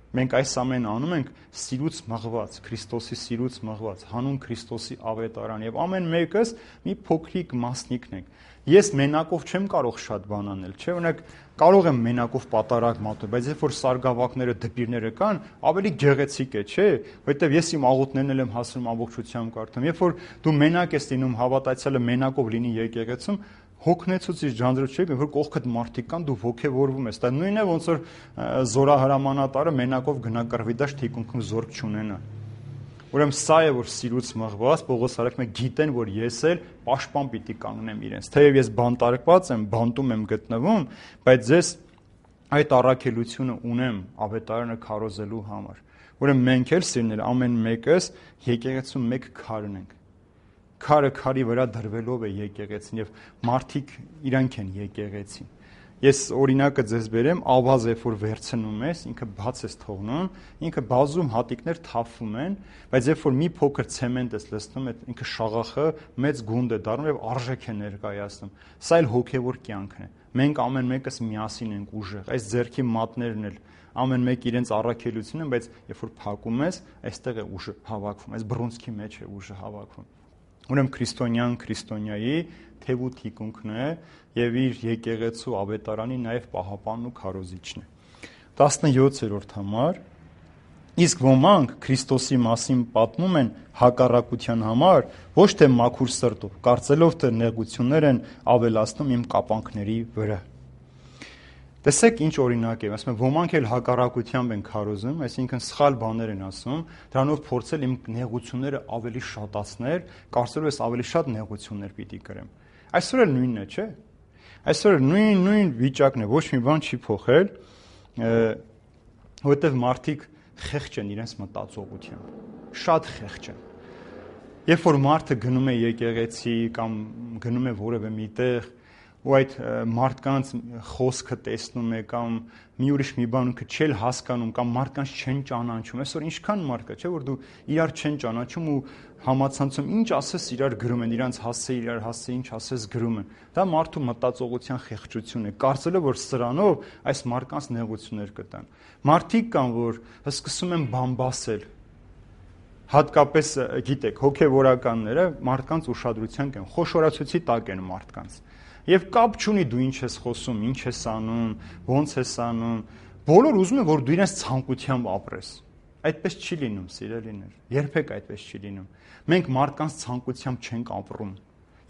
Մենք այս ամենը անում ենք սիրուց մղված, Քրիստոսի սիրուց մղված, հանուն Քրիստոսի ավետարան եւ ամեն մեկս մի փոքրիկ մասնիկն ենք։ Ես մենակով չեմ կարող շատ բան անել, չէ՞, օրինակ կարող եմ մենակով պատարակ մատնել, բայց երբ որ սարգավակները, դպիրները կան, ավելի գեղեցիկ է, չէ՞, որովհետեւ ես իմ աղոթներն էլ եմ հասնում ամբողջությամբ կարդամ։ Երբ որ դու մենակ ես լինում, հավատացյալը մենակով լինի եկեղեցում, հոգնեցուցիչ ջանձրոց չէ, որ կողքդ մարդիկ կան, դու ոգևորվում ես։ Դա նույնն է, ոնց որ զորահրամանատարը մենակով գնա կռվի, դա թիկունքում զորք չունենա։ Ուրեմն սա է, որ սիրուց մղված Պողոս առաքյալը գիտեն, որ ես էլ պաշտպան պիտի կանգնեմ իրենց։ Թեև ես բանտարկված եմ, բանտում եմ գտնվում, բայց ես այդ առաքելությունը ունեմ ավետարանը քարոզելու համար։ Ուրեմն մենք էլ սիրներ ամեն մեկս եկեղեցում մեկ քարն ենք։ Քարը քարի վրա դրվելով է եկեղեցին եւ մարդիկ իրանք են եկեղեցին։ Ես օրինակը ձեզ բերեմ, ավազ երբ որ վերցնում ես, ինքը բաց ես թողնում, ինքը բազում հատիկներ թափվում են, բայց երբ որ մի փոքր ցեմենտ ես լցնում, այդ ինքը շաղախը մեծ գունդ է դառնում եւ արժեք է ներկայացնում։ Սա էլ հոգեվոր կյանքն է։ Մենք ամեն մեկս միասին ենք ուժեղ։ Այս ձեռքի մատներն էլ ամեն մեկ իրենց առաքելություն են, բայց երբ որ փակում ես, այստեղ է ուժը հավաքվում, այս բռունցքի մեջ է ուժը հավաքվում։ Ուրեմն քրիստոնյան քրիստոնյայի թև ու թիկունքն է եւ իր եկեղեցու ավետարանի նաեւ պահապանն ու քարոզիչն է։ տասնյոթերորդ համար իսկ ոմանք Քրիստոսի մասին պատմում են հակառակության համար, ոչ թե մաքուր սրտով, կարծելով թե նեղություններ են ավելացնում իմ կապանքների վրա։ Տեսեք ինչ օրինակ է, ասում եմ, ոմանք էլ հակառակությամբ են քարոզում, այսինքն սխալ բաներ են ասում, դրանով փորձել իմ նեղությունները ավելի շատացնել, կարծելով ես ավելի շատ նեղություններ պիտի կրեմ։ Այսօր էլ նույնն է, չէ՞։ Այսօր նույն նույն վիճակն է, ոչ մի բան չի փոխել, որովհետև մարդիկ խեղճ են իրենց մտածողությամբ, շատ խեղճ են։ Երբ որ մարդը գնում է եկեղեցի կամ գնում է որևէ միտեղ ու այդ մարդկանց խոսքը տեսնում է կամ մի ուրիշ մի բան ունքը չել հասկանում կամ մարդկանց չեն ճանաչում, այսօր ինչքան մարդ կա, չէ՞ որ դու իրար չեն ճանաչում ու համացանցում ինչ ասես իրար գրում են, իրանց հասցե իրար հասցե ինչ ասես գրում են։ Դա մարդու մտածողության խեղճություն է, կարծելով որ սրանով այս մարդկանց նեղություններ կտան։ Մարդիկ կան, որ սկսում են բամբասել։ Հատկապես, գիտեք, հոգևորականները մարդկանց ուշադրության կեն, խոշորացուցի տակ են մարդկանց։ Եվ կապ չունի դու ինչ ես խոսում, ինչ ես անում, ոնց ես անում, բոլոր ուզում են, որ դու իրենց ցանկությամբ ապրես։ Այդպես չի լինում, սիրելիներ, երբեք այդպես չի լինում։ Մենք մարդկանց ցանկությամբ չենք ապրում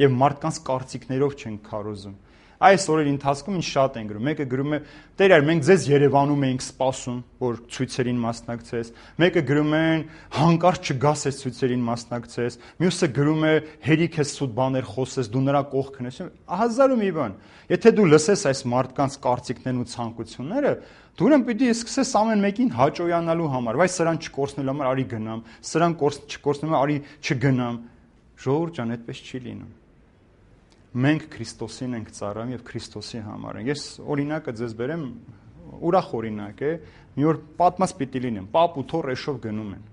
եւ մարդկանց կարծիքներով չենք քարոզում։ Այս օրերի ընթացքում ինչ շատ են գրում։ Մեկը գրում է. «Տեր այր, մենք ձեզ Երևանում էինք սպասում, որ ցույցերին մասնակցես»։ Մեկը գրում են. «Հանկարծ չգաս այս ցույցերին մասնակցես»։ Մյուսը գրում է. «Հերիք ես սուտ բաներ խոսես, դու նրա կողքն ես»։ Հազար ու մի բան։ Եթե դու լսես այս մարդկանց կարծիքներն ու ցանկությունները, դու ուրեմն պիտի սկսես ամեն մեկին հաճոյանալու համար, վայ սրան չկորցնելու համար արի գնամ, սրան չկորցնելու համար արի չգնամ։ Ժողովուրդ ջան, այդպես չի լինում։ Մենք Քրիստոսին ենք ծառայում եւ Քրիստոսի համար ենք։ Ես օրինակը ձեզ բերեմ, ուրախ օրինակ է, մի օր պատմած պիտի լինեմ, պապ ու թոռ էշով գնում են։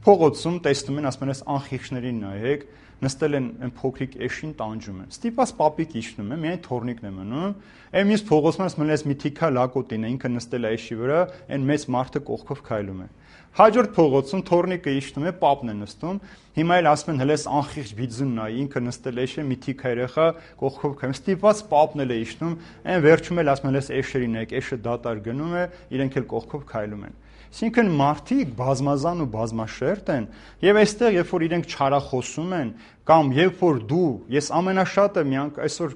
Փողոցում տեսնում են, ասում են, այս անխիղճներին նայեք, նստել են այն փոքրիկ էշին տանջում են։ Ստիպված պապիկ իջնում է, միայն թոռնիկն է մնում։ Այն մյուս փողոցում ասում են, այս մի թիքա լակոտին է, ինքը նստել է էշի վրա, այն մեծ մարդը կողքով քայլում է։ Հաջորդ փողոցում թոռնիկը իջնում է, պապն է նստում։ Հիմա էլ ասում են, հələ այս անխիղճ բիձուն նայ, ինքը նստել է էշը, մի թիքա երեխա կողքով քայլում։ Ստիպված պապն էլ է իջնում, այն վերջում էլ ասում են, այս էշերին եք, էշը դատար գնում է, իրենք էլ կողքով քայլում են։ Այսինքն մարդիկ բազմազան ու բազմաշերտ են, եւ այստեղ երբ որ իրենք չարախոսում են, կամ երբ որ դու, ես ամենաշատը միանք այսօր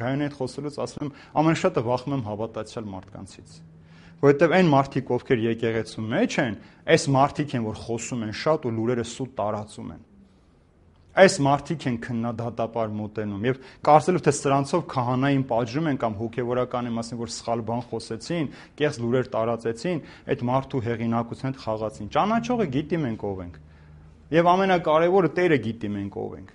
գայանի հետ խոսելուց ասում եմ, ամենաշատը վախում եմ հավատացյալ մարդկանցից, որովհետեւ այն մարդիկ, ովքեր եկեղեցու մեջ են, այս մարդիկ են, որ խոսում են շատ ու լուրերը սուտ տարածում են։ Այս մարդիկ են քննադատապար մոտենում եւ կարծելով թե սրանցով քահանային պատժում են կամ հոգեվորական եմ ասեմ որ սխալ բան խոսեցին, կեղծ լուրեր տարածեցին, այդ մարդու հեղինակության հետ խաղացին։ Ճանաչողը գիտի մենք ով ենք։ Եվ ամենակարևորը Տերը գիտի մենք ով ենք։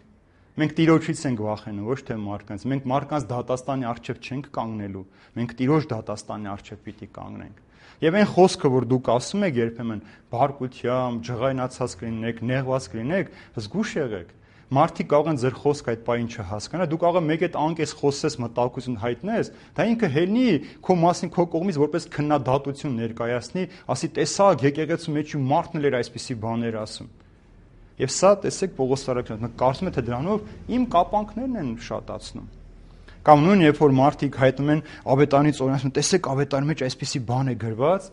Մենք Տիրոջից ենք վախենում, ոչ թե մարդկանց։ Մենք մարդկանց դատաստանի առջև չենք կանգնելու։ Մենք Տիրոջ դատաստանի առջև պիտի կանգնենք։ Եվ այն խոսքը, որ դուք ասում եք երբեմն բարկությամբ, ջղայնացած կլինեք, նեղված կլինեք, զգուշ եղեք։ Մարդիկ կարող են ձեր խոսքը այդ պահին չհասկանալ, դու կարող ես մեկ այդ անկես խոսես, մտահոգություն հայտնես, դա ինքը հելնի քո մասին քո կողմից որպես քննադատություն ներկայացնի, ասի տեսակ եկեղեցու մեջ ու մարդն էլ էր այսպիսի բաներ ասում։ Եվ սա տեսեք Պողոս Արաքյանը կարծում է թե դրանով իմ կապանքներն են շատացնում։ Կամ նույն երբ որ մարդիկ հայտնում են ավետարանից օրինակ ասում տեսեք ավետարանի մեջ այսպիսի բան է գրված,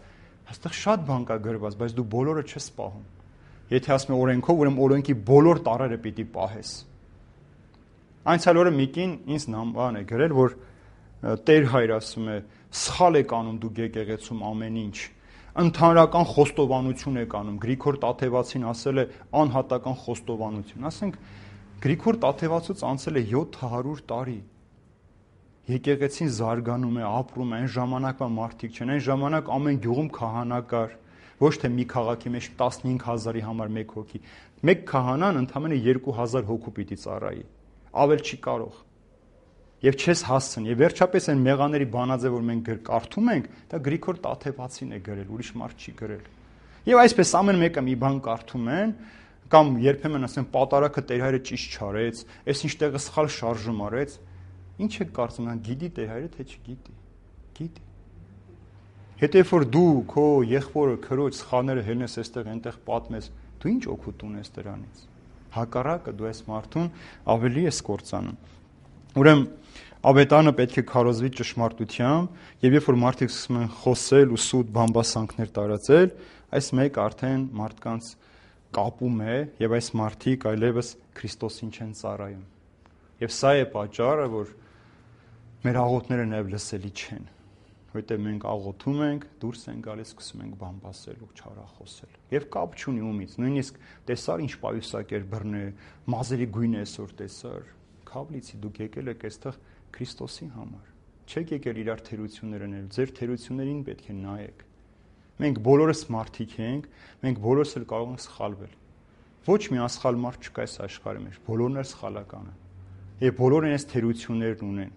հաստատ շատ բան կա գրված, բայց դու բոլորը չես պահում։ Եթե ասում եմ օրենքով, ուրեմն օրենքի բոլոր տարրերը պիտի պահես։ Անցյալ օրը Միկին ինձ նամբան է գրել, որ Տեր հայր ասում է, սխալ եք անում դուք եկեղեցում ամեն ինչ։ Ընդհանրական խոստովանություն եք անում։ Գրիգոր Տաթևացին ասել է անհատական խոստովանություն։ Ասենք Գրիգոր Տաթևացուց անցել է յոթ հարյուր տարի։ Եկեղեցին զարգանում է, ապրում է, այն ժամանակվա մարդիկ չեն, այն ժամանակ ամեն գյուղում քահանա կար, ոչ թե մի քաղաքի մեջ տասնհինգ հազարի համար մեկ հոգի։ Մեկ քահանան ընդամենը երկու հազար հոգու պիտի ծառայի, ավել չի կարող։ Եվ չես հասցն, եւ վերջապես այն մեղաների բանաձև, որ մենք կարդում ենք, դա Գրիգոր Տաթևացին է գրել, ուրիշ մարդ չի գրել։ Եվ այսպես ամեն մեկը մի բան կարդում են, կամ երբեմն ասեն պատարակը Տերհայրը ճիշտ չարեց, այս ինչ տեղը սխալ շարժում արեց։ Ինչ եք կարծում, նա գիտի Տերհայրը, թե չգիտի։ Գիտի։ Հետո որ դու քո եղբորը, քրոջ սխալները հելնես այստեղ, այնտեղ պատմես, դու ինչ օգուտ ունես դրանից։ Հակառակը դու այս մարդուն ավելի ես կործանում։ Ուրեմն ավետարանը պետք է քարոզվի ճշմարտությամբ, եւ երբ որ մարդիկ սկսում են խոսել ու սուտ բամբասանքներ տարածել, այս մեկ արդեն մարդկանց կապում է եւ այս մարդիկ այլևս Քրիստոսին չեն ծառայում։ Եվ սա է պատճառը, որ մեր աղոթները նաեւ լսելի չեն, որտեղ մենք աղոթում ենք, դուրս են գալիս, սկսում ենք բամբասել ու չարախոսել։ Եվ կապ չունի ումից, նույնիսկ տեսար ինչ պայուսակեր բռնե, մազերի գույն է այսօր տեսար։ Քավլիցի դուք եկել եք այստեղ Քրիստոսի համար։ Չեք եկել իրար թերություններ անել, ձեր թերություններին պետք է նայեք։ Մենք բոլորս մարդիկ ենք, մենք բոլորս էլ կարող ենք սխալվել։ Ոչ մի անսխալ մարդ չկա այս աշխարհի մեջ, բոլորն էլ սխալական են։ Եվ բոլորն այս թերություններն ունեն։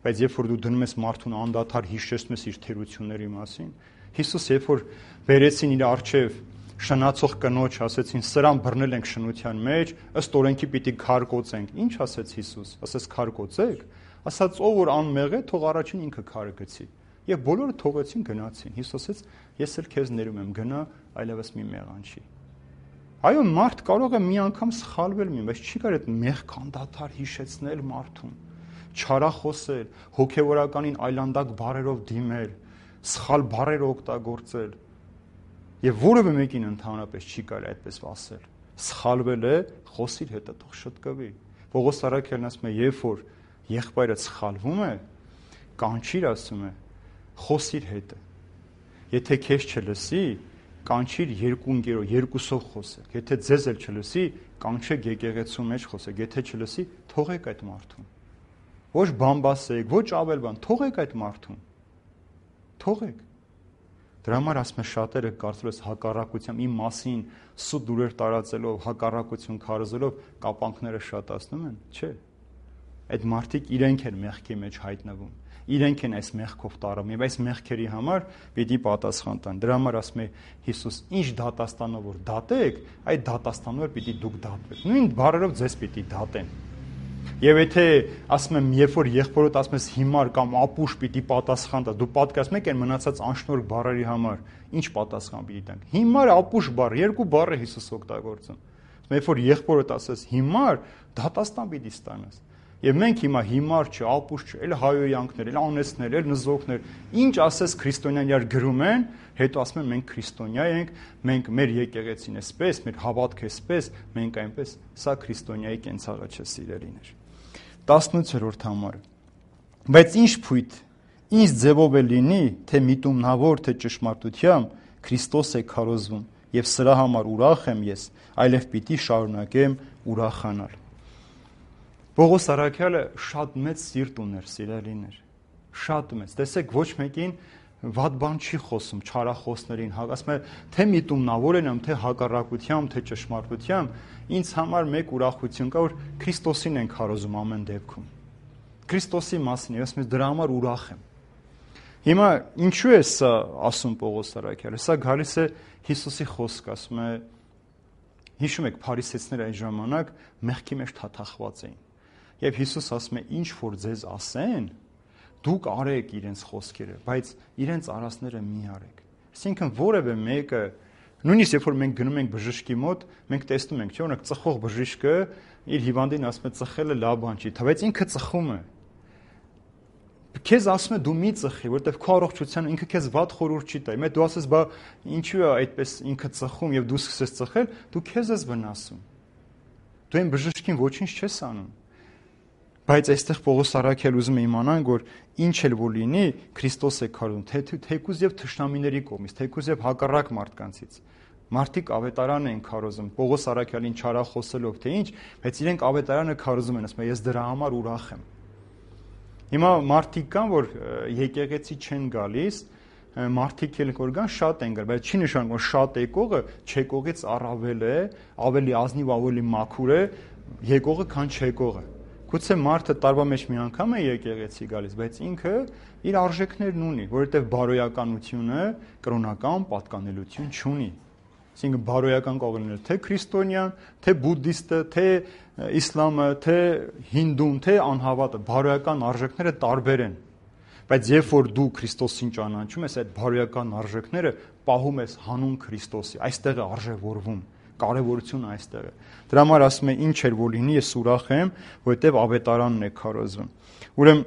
Բայց երբ որ դու դնում ես մարդուն անդադար հիշեցնում ես իր թերությունների մասին, Հիսուս երբ որ բերեցին իր առջև շնացող կնոջ, ասեցին սրան բռնել ենք շնության մեջ, ըստ օրենքի պիտի քարկոծենք։ Ինչ ասեց Հիսուս։ Ասեց քարկոծեք, ասաց ով որ անմեղ է, թող առաջին ինքը քարը գցի։ Եվ բոլորը թողեցին գնացին։ Հիսուս ասեց ես էլ քեզ ներում եմ, գնա, այլևս մի մեղանչի։ Այո, մարդ կարող է մի անգամ սխալվել մի, բայց չի կարող այդ մեղք անդադար հիշեցնել մարդուն, չարախոսել, հոգևորականին այլանդակ բառերով դիմել, սխալ բառեր օգտագործել։ Եվ որևէ մեկին ընդհանրապես չի կարելի այդպես ասել։ Սխալվել է, խոսիր հետը թող շտկվի։ Պողոս Արաքյալն ասում է, երբ որ եղբայրը սխալվում է, կանչիր, ասում է, խոսիր հետը։ Եթե քեզ չլսի, կանչիր երկու ընկերով, երկուսով խոսեք։ Եթե ձեզ էլ չլսի, կանչեք եկեղեցու մեջ խոսեք։ Եթե չլսի, թողեք այդ մարդուն։ Ոչ բամբասեք, ոչ ավել բան, թողեք այդ մարդուն։ Թողեք։ Դրա համար ասում է շատերը կարծում ես հակառակությամբ իմ մասին սուտ դուրեր տարածելով, հակառակություն քարոզելով կապանքները շատացնում են, չէ։ Այդ մարդիկ իրենք են մեղքի մեջ հայտնվում։ Իրենք են այս մեղքով տարում եւ այս մեղքերի համար պիտի պատասխան տան։ Դրա համար ասում է Հիսուս, ինչ դատաստանով որ դատեք, այդ դատաստանով պիտի դուք դատվեք։ Նույն բառերով ձեզ պիտի դատեն։ Եվ եթե ասում եմ, երբ որ եղբորոդ ասում ես հիմար կամ ապուշ պիտի պատասխան տա, դու պատկերացնում եք այն մնացած անշնորհ բառերի համար, ինչ պատասխան պիտի տանք։ Հիմար, ապուշ բառ, երկու բառ է Հիսուս օգտագործում։ Երբ որ եղբորոդ ասես հիմար, դատաստան պիտի ստանաս։ Եվ մենք հիմա հիմար չէ, ապուշ չէ, էլ հայոյանքներ, էլ անեցներ, էլ նզոկներ, ինչ ասես քրիստոնյան իրար գրում են, հետո ասում են մենք քրիստոնյա ենք, մենք մեր եկեղեցին էսպես, մեր հավատքը էսպես, մենք այնպես, սա քրիստոնյայի կենցաղը չէ, սիրելիներ։ տասնութերորդ համարը։ Բայց ինչ փույթ, ինչ ձևով է լինի, թե միտումնավոր, թե ճշմարտությամբ, Քրիստոս է քարոզվում, եւ սրա համար ուրախ եմ ես, այլև պիտի շարունակեմ ուրախանալ։ Պողոս առաքյալը շատ մեծ սիրտ ուներ, սիրելիներ, շատ մեծ։ Տեսեք, ոչ մեկին վատ բան չի խոսում, չարախոսներին, ասում է, թե միտումնավոր եմ, թե հակառակությամբ, թե ճշմարտությամբ, ինձ համար մեկ ուրախություն կա, որ Քրիստոսին են քարոզում ամեն դեպքում։ Քրիստոսի մասին, ես մեզ դրա համար ուրախ եմ։ Հիմա ինչու է սա ասում Պողոս առաքյալը։ Սա գալիս է Հիսուսի խոսք, ասում է, հիշում եք, փարիսեցիները այն ժամանակ մեղքի մեջ թաթախված էին։ Եվ Հիսուս ասում է, ինչ որ ձեզ ասեն, դուք արեք իրենց խոսքերը, բայց իրենց արածները մի արեք։ Այսինքն որևէ մեկը, նույնիսկ երբ որ մենք գնում ենք բժշկի մոտ, մենք տեսնում ենք, չէ՞, օրինակ ծխող բժիշկը իր հիվանդին ասում է ծխելը լավ բան չի, բայց ինքը ծխում է։ Քեզ ասում է դու մի ծխի, որովհետև քո առողջության ինքը քեզ վատ խորհուրդ չի տա։ Հիմա դու ասես, բա ինչու է այդպես ինքը ծխում եւ դու սկսես ծխել, դու քեզ ես վնասում։ Դու այն բժշկին ոչինչ չես անում։ Բայց այստեղ Պողոս առաքյալը ուզում է իմանալ, որ ինչ էլ որ լինի, Քրիստոս է քարոզում, թե թեկուզ եւ թշնամիների կողմից, թեկուզ եւ հակառակ մարդկանցից։ Մարդիկ ավետարան են քարոզում, Պողոս առաքյալին չարախոսելով, թե ինչ, բայց իրենք ավետարանը քարոզում են, ասում են, ես դրա համար ուրախ եմ։ Հիմա մարդիկ կան, որ եկեղեցի չեն գալիս, մարդիկ էլ որ կան շատ են գալ, բայց չի նշանակում, որ շատ եկողը չեկողից առավել է, ավելի ազնիվ, ավելի մաքուր է եկողը, քան չեկողը։ Գուցե մարդը տարվա մեջ մի անգամ է եկեղեցի գալիս, բայց ինքը իր արժեքներն ունի, որովհետև բարոյականությունը կրոնական պատկանելություն չունի։ Այսինքն բարոյական կարող լինել թե քրիստոնյան, թե բուդդիստը, թե իսլամը, թե հինդուն, թե անհավատը, բարոյական արժեքները տարբեր են։ Բայց երբ որ դու Քրիստոսին ճանաչում ես, այդ բարոյական արժեքները պահում ես հանուն Քրիստոսի, այստեղ է արժևորվում, կարևորությունը այստեղ է։ Դրա համար ասում է ինչ էր որ լինի, ես ուրախ եմ, որովհետև ավետարանն է քարոզվում։ Ուրեմն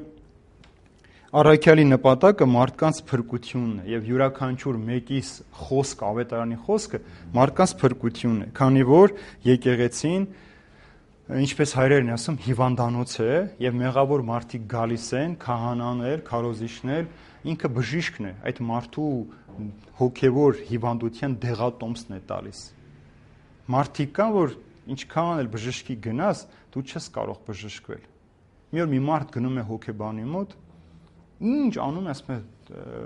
առաքյալի նպատակը մարդկանց փրկությունն է եւ յուրաքանչյուր մեկիս խոսք, ավետարանի խոսքը մարդկանց փրկությունն է, քանի որ եկեղեցին, ինչպես հայրերն են ասում, հիվանդանոց է եւ մեղավոր մարդիկ գալիս են, քահանաներ, քարոզիչներ, ինքը բժիշկն է, այդ մարդու հոգեվոր հիվանդության դեղատոմսն է տալիս։ Մարդիկ կան, որ ինչքան էլ բժշկի գնաս, դու չես կարող բժշկվել։ Մի օր մի մարդ գնում է հոգեբանի մոտ, ինչ անում է, ասում է,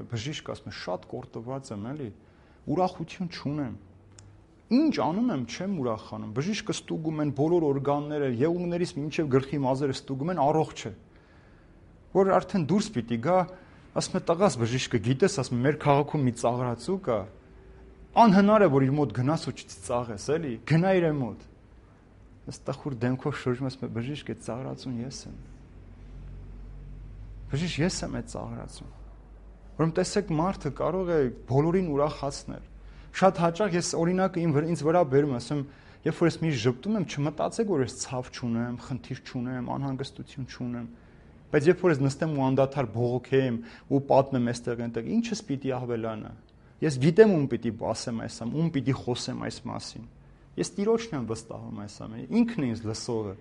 բժիշկը ասում է, շատ կորտված եմ, էլի, ուրախություն չունեմ։ Ինչ անում եմ, չեմ ուրախանում։ Բժիշկը ստուգում են բոլոր օրգանները, եղունգներից մինչև գլխի մազերը ստուգում են, առողջ է։ Որ արդեն դուրս պիտի գա, ասում է, տղաս բժիշկը, գիտես, ասում է, մեր քաղաքում մի ծաղրացու կա, անհնար է, որ իր մոտ գնաս ու չծաղես, էլի, գնա իր մոտ։ Ես տխուր դեմքով շրջում ասում եմ, բժիշկ, այդ ծաղրացուն ես եմ։ Բժիշկ, ես եմ այդ ծաղրացուն։ Որում տեսեք, մարդը կարող է բոլորին ուրախացնել։ Շատ հաճախ ես օրինակը ինձ վրա բերում, ասում, երբ որ ես մի ժպտում եմ, չմտածեք, որ ես ցավ չունեմ, խնդիր չունեմ, անհանգստություն չունեմ։ Բայց երբ որ ես նստեմ ու անդադար բողոքեմ ու պատմեմ այստեղ այնտեղ, ինչս պիտի ավելանա։ Ես գիտեմ ում պիտի ասեմ այս ամեն, ում պիտի խոսեմ այս մասին։ Ես Տիրոջն եմ վստահում այս ամենը, ինքն է ինձ լսողը։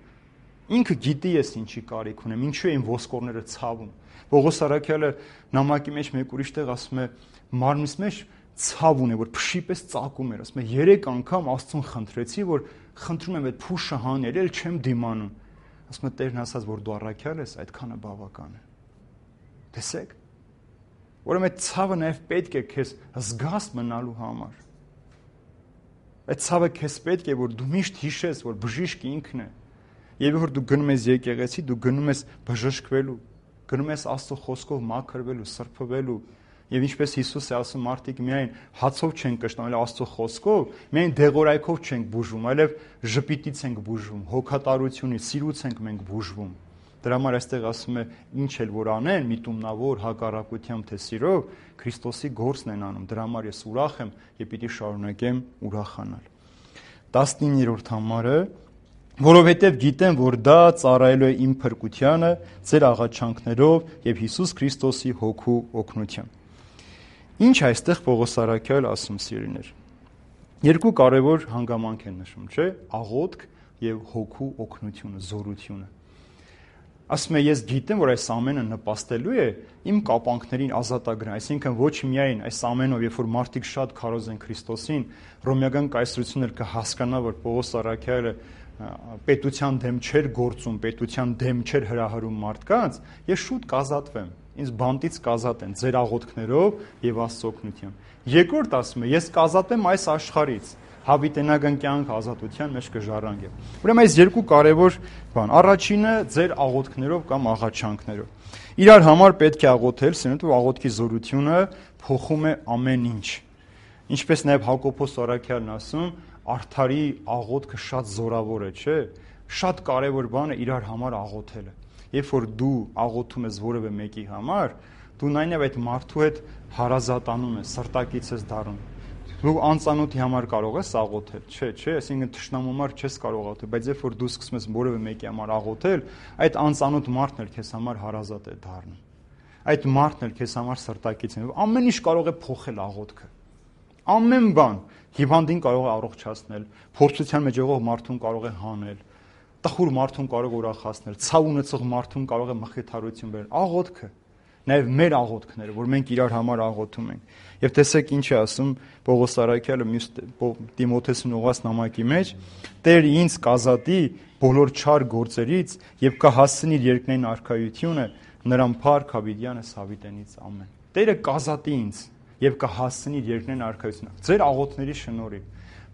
Ինքը գիտի ես ինչի կարիք ունեմ, ինչու եմ ոսկորները ցավում։ Պողոս Արաքյալը նամակի մեջ մեկ ուրիշ տեղ ասում է, մարմնիս մեջ ցավ ունի, որ փշի պես ծակում էր, ասում է, երեք անգամ Աստծուն խնդրեցի, որ խնդրում եմ այդ փուշը հանել, էլ չեմ դիմանում։ Ասում է, Տերն ասաց, որ դու առաքյալ ես, այդքանը բավական է։ Տեսեք։ Ուրեմն այդ ցավը նաև պետք է քեզ զգաստ մնալու համար։ Այդ ցավը քեզ պետք է, որ դու միշտ հիշես, որ բժիշկը ինքն է։ Եվ որ դու գնում ես եկեղեցի, դու գնում ես բժշկվելու, գնում ես Աստծո խոսքով մաքրվելու, սրբվելու։ Եվ ինչպես Հիսուս է ասում, մարդիկ միայն հացով չեն կշտում, այլ Աստծո խոսքով, միայն դեղորայքով չենք բուժվում, այլև ժպիտից ենք բուժվում, հոգատարությունից, սիրուց ենք մենք բուժվում։ Դրա համար այստեղ ասում է, ինչ էլ որ անեն, միտումնավոր հակառակությամբ թե սիրով, Քրիստոսի գործն են անում։ Դրա համար ես ուրախ եմ եւ պիտի շարունակեմ ուրախանալ։ տասնիններորդ համարը, որովհետև գիտեմ, որ դա ծառայելու է իմ փրկությանը, ձեր աղաչանքներով եւ Հիսուս Քրիստոսի հոգու օգնությամբ։ Ինչ այստեղ Պողոս Արաքյալը ասում, սիրելիներ։ Երկու կարևոր հանգամանք են նշում, չէ՞, աղոթք եւ հոգու օգնությունը, զորությունը։ Ասում է, ես գիտեմ, որ այս ամենը նպաստելու է իմ կապանքներին ազատագրան, այսինքն ոչ միայն այս ամենով, երբ որ մարդիկ շատ քարոզ են Քրիստոսին, ռոմեական կայսրությունն էլ կհասկանա, որ Պողոս Արաքյալը պետության դեմ չէր գործում, պետության դեմ չէր հրահրում մարդկանց, ես շուտ կազատվեմ, ինձ բանտից կազատեն ձեր աղոթքներով եւ Աստծո օգնությամբ։ Երկրորդ ասում է, ես կազատվեմ այս աշխարհից, հավիտենական կյանք ազատության մեջ կժառանգեմ։ Ուրեմն այս երկու կարևոր բան։ Առաջինը ձեր աղոթքներով կամ աղաչանքներով։ Իրար համար պետք է աղոթել, սենյակ աղոթքի զորությունը փոխում է ամեն ինչ։ Ինչպես նաև Հակոբոս Արաքյալն ասում, արդարի աղոթքը շատ զորավոր է, չէ՞։ Շատ կարևոր բան է իրար համար աղոթելը։ Երբ որ դու աղոթում ես որևէ մեկի համար, դու նայնև այդ մարդու հետ հարազատանում ես, սրտակից ես դառնում։ Դու անծանոթի համար կարող ես աղոթել, չէ, չէ, այսինքն թշնամու համար չես կարող աղոթել, բայց երբ որ դու սկսում ես որևէ մեկի համար աղոթել, այդ անծանոթ մարդն էլ քեզ համար հարազատ է դառնում։ Այդ մարդն էլ քեզ համար սրտակից է։ Ամեն ինչ կարող է փոխել աղոթքը։ Ամեն բան հիվանդին կարող է առողջացնել, փորձության մեջ եղող մարդուն կարող է հանել, տխուր մարդուն կարող է ուրախացնել, ցավ ունեցող մարդուն կարող է մխիթարություն բերել։ Աղոթքը, նաև մեր աղոթքները, որ մենք իրար համար աղոթում ենք։ Եվ տեսեք ինչ է ասում Պողոս Արաքյալը մյուս Տիմոթեսին ուղղված նամակի մեջ. Տեր ինձ կազատի բոլոր չար գործերից եւ կհասցնի իր երկնային արքայությունը նրան փառք հավիտյանը հավիտենից ամեն։ Տերը կազատի ինձ եւ կհասցնի իր երկնային արքայությունը ձեր աղոթների շնորհիվ։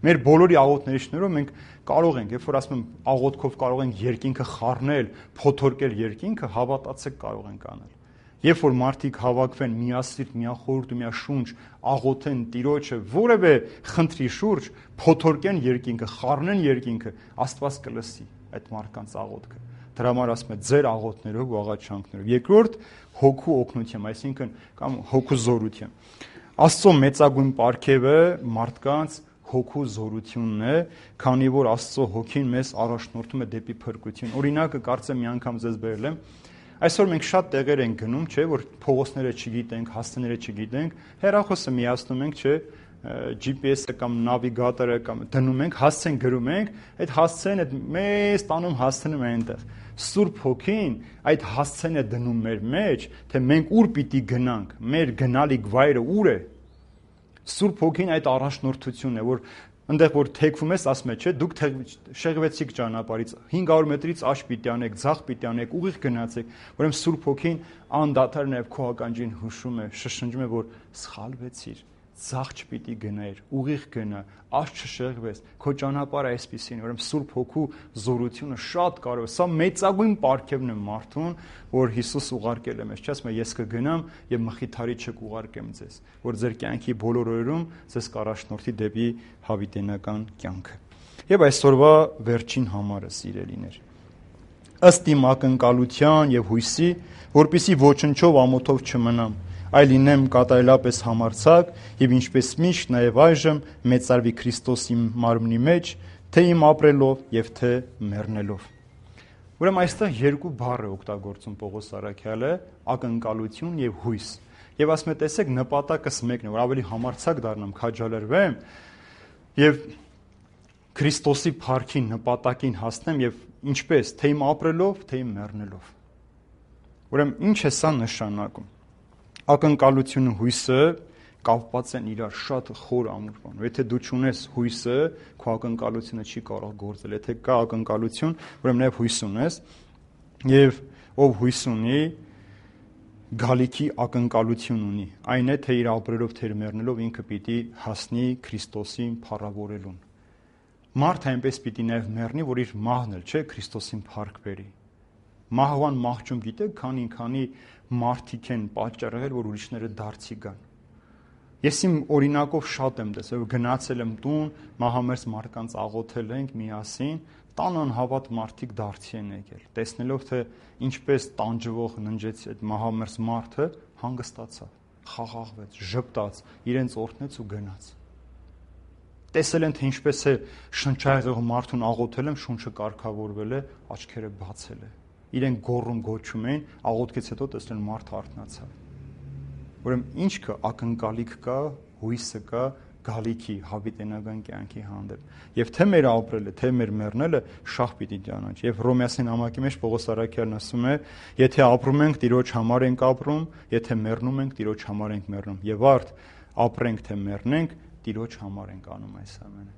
Մեր բոլորի աղոթների շնորհիվ մենք կարող ենք, երբ որ ասում եմ աղոթքով կարող ենք երկինքը խառնել, փոթորկել երկինքը, հավատացեք կարող ենք անել։ Երբ որ մարդիկ հավաքվեն միասիրտ, միախորհուրդ ու միաշունչ, աղոթեն Տիրոջը որևէ խնդրի շուրջ, փոթորկեն երկինքը, խառնեն երկինքը, Աստված կլսի այդ մարդկանց աղոթքը։ Դրա համար ասում է ձեր աղոթներով ու աղաչանքներով։ Երկրորդ հոգու օգնությամբ, այսինքն կամ հոգու զորությամբ։ Աստծո մեծագույն պարգևը մարդկանց հոգու զորությունն է, քանի որ Աստծո հոգին մեզ առաջնորդում է դեպի փրկություն։ Օրինակը կարծեմ մի անգամ ձեզ բերել եմ։ Այսօր մենք շատ տեղեր ենք գնում, չէ, որ փողոցները չգիտենք, հասցեները չգիտենք, հեռախոսը միացնում ենք, չէ, G P S-ը կամ նավիգատորը կամ դնում ենք, հասցեն գրում ենք, այդ հասցեն այդ մեծ տանում հասցնում է այնտեղ։ Սուրբ Հոգին այդ հասցեն է դնում մեր մեջ, թե մենք ուր պիտի գնանք, մեր գնալիք վայրը ուր է։ Սուրբ Հոգին այդ առաջնորդությունն է, որ այնտեղ որ թեքվում ես, ասում է, չէ, դուք շեղվեցիք ճանապարհից, հինգ հարյուր մետրից աջ պիտի անեք, ձախ պիտի անեք, ուղիղ գնացեք, ուրեմն Սուրբ Հոգին անդադար նաև քո ականջին հուշում է, շշնջում է, որ սխալվեցիր, ձախ չպիտի գնայր, ուղիղ գնա, աջ չշեղվես, քո ճանապարհը այսպեսին, ուրեմն Սուրբ Հոգու զորությունը շատ կարևոր է, սա մեծագույն պարգևն է մարդուն, որ Հիսուս ուղարկել է մեզ, չէ՞, ասում է, ես կգնամ եւ մխիթարիչ կուղարկեմ ձեզ, որ ձեր կյանքի բոլոր օրերում ձեզ կառաջնորդի դեպի հավիտենական կյանքը։ Եվ այսօրվա վերջին համարը, սիրելիներ, ըստ իմ ակնկալության եւ հույսի, որպիսի ոչնչով ամոթով չմնամ, այլ լինեմ կատարելապես համարձակ եւ ինչպես միշտ նաեւ այժմ մեծարվի Քրիստոսի մարմնի մեջ, թե իմ ապրելով եւ թե մեռնելով։ Ուրեմն այստեղ երկու բառ է օգտագործում Պողոս Արաքյալը՝ ակնկալություն եւ հույս։ Եվ ասում է, տեսեք, նպատակս մեկն է, որ ավելի համարձակ դառնամ, քաջալերվեմ եւ Քրիստոսի փառքի նպատակին հասնեմ եւ ինչպես, թե իմ ապրելով, թե իմ մեռնելով։ Ուրեմն ինչ է սա նշանակում։ Ակնկալությունը, հույսը կապված են իրար շատ խոր ամուր բան։ Եթե դու չունես հույսը, քո ակնկալությունը չի կարող գործել։ Եթե կա ակնկալություն, ուրեմն նաև հույս ունես, եւ ով հույս ունի, գալիքի ակնկալություն ունի։ Այն է, թե իր ապրելով, թե իր մեռնելով ինքը պիտի հասնի Քրիստոսին փառավորելուն։ Մարդը այնպես պիտի նաև մեռնի, որ իր մահն էլ, չէ, Քրիստոսին փառք բերի։ Մահվան մահճում գիտեք, քանի քանի մարդիկ են պատճառ եղել, որ ուրիշները դարձի գան։ Ես իմ օրինակով շատ եմ տեսել, գնացել եմ տուն, մահամերձ մարդկանց աղոթել ենք միասին, տան անհավատ մարդիկ դարձի են եկել։ Տեսնելով, թե ինչպես տանջվող ննջեց այդ մահամերձ մարդը, հանգստացավ, խաղաղվեց, ժպտաց, իրենց օրհնեց ու գնաց։ Տեսել են, թե ինչպես է շնչայեղող մարդուն աղոթել եմ, շունչը կարգավորվել է, աչքերը բացել է։ Իրենք գոռում գոչում էին, աղոթքից հետո տեսնել մարդը արթնացավ։ Ուրեմն ինչ կա, ակնկալիք կա, հույսը կա, գալիքի հավիտենական կյանքի հանդեպ։ Եվ թե մեր ապրելը, թե մեր մեռնելը շահ պիտի ճանաչ։ Եվ Հռոմեացին համակի մեջ Պողոս առաքյալն ասում է, եթե ապրում ենք, Տիրոջ համար ենք ապրում, եթե մեռնում ենք, Տիրոջ համար ենք մեռնում։ Եվ արդ ապրենք թե մեռնենք, Տիրոջ համար ենք անում այս ամենը։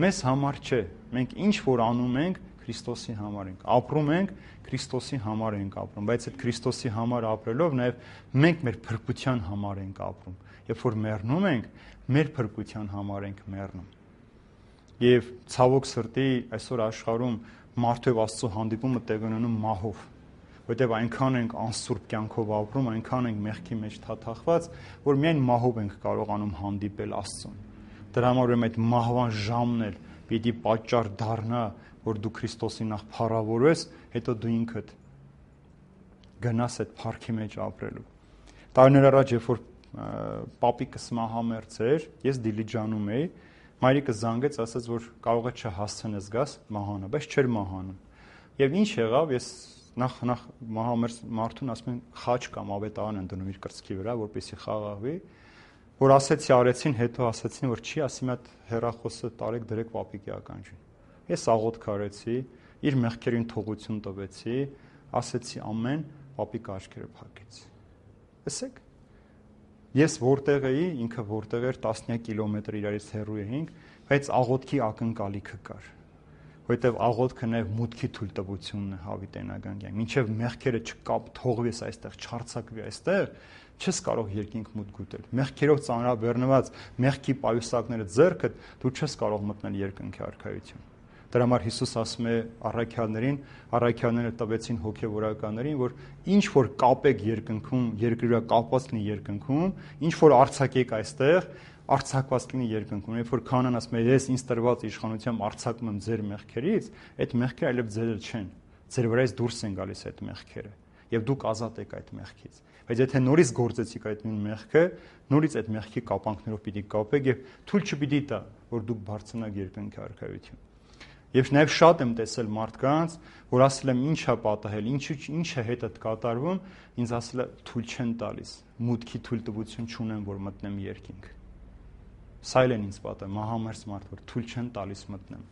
Մեզ համար չէ, մենք ինչ որ անում ենք, Քրիստոսի համար ենք ապրում ենք, Քրիստոսի համար ենք ապրում, բայց այդ Քրիստոսի համար ապրելով նաև մենք մեր փրկության համար ենք ապրում։ Երբ որ մեռնում ենք, մեր փրկության համար ենք մեռնում։ Եվ ցավոք սրտի այսօր աշխարհում մարդու եւ Աստծո հանդիպումը տեղ ունենում մահով, որտեղ այնքան ենք անսուրբ կյանքով ապրում, այնքան ենք մեղքի մեջ թաթախված, որ միայն մահով ենք կարողանում հանդիպել Աստծուն։ Դրա համար ուրեմն այդ մահվան ժամն էլ պիտի պատճառ դառնա, որ դու Քրիստոսին նախ փառավորես, հետո դու ինքդ գնաս այդ փառքի մեջ ապրելու։ Տարիներ առաջ, երբ որ պապիկս մահամերձ էր, ես Դիլիջանում էի, մայրիկը զանգեց, ասաց, որ կարող է չհասցնես գաս մահանա, բայց չէր մահանում։ Եվ ինչ եղավ, ես նախ նախ մահամերձ մարդուն ասում են խաչ կամ ավետարան են դնում իր կրծքի վրա, որպեսզի խաղաղվի, որ ասեցի արեցին, հետո ասեցին, որ չի, ասի մատ հեռախոսը տարեք դրեք պապիկի ականջին։ Ես աղոթք արեցի, իր մեղքերին թողություն տվեցի, ասեցի ամեն, պապիկը աչքերը փակեց։ Տեսեք, ես որտեղ էի, ինքը որտեղ էր, տասնյակ կիլոմետր իրարից հեռու էինք, բայց աղոթքի ակնկալիքը կար, որովհետև աղոթքը նաև մուտքի թույլտվությունն է հավիտենական կյանք։ Մինչև մեղքերը չկապ թողվես այստեղ, չարցակվի այստեղ, չես կարող երկինք մուտք գտել։ Մեղքերով ծանրաբեռնված մեղքի պայուսակները ձեռքդ, դու չես կարող մտնել երկնքի արքայություն։ Դրա համար Հիսուս ասում է առաքյալներին, առաքյալները տվեցին հոգևորականներին, որ ինչ որ կապեք երկնքում, երկրի վրա կապված լինի երկնքում, ինչ որ արձակեք այստեղ, արձակված լինի երկնքում։ Երբ որ քանան ասում է, ես ինձ տրված իշխանությամբ արձակում եմ ձեր մեղքերից, այդ մեղքերը այլև ձեր չեն։ Ձեր վրայից դուրս են գալիս այդ մեղքերը, եւ դուք ազատ եք այդ մեղքից։ Բայց եթե նորից գործեցիք այդ նույն մեղքը, նորից այդ մեղքի կապանքներով պիտի կապեք եւ թույլ չպիտի տա, որ դուք բարձրանաք երկնքի արքայություն։ Եվ նաև շատ եմ տեսել մարդկանց, որ ասել եմ ինչ է պատահել, ինչ ինչ է հետդ կատարվում, ինձ ասել է թույլ չեն տալիս, մուտքի թույլտվություն չունեմ, որ մտնեմ երկինք։ Սա էլ են ինձ պատահել, մահամերձ մարդ, որ թույլ չեն տալիս մտնեմ։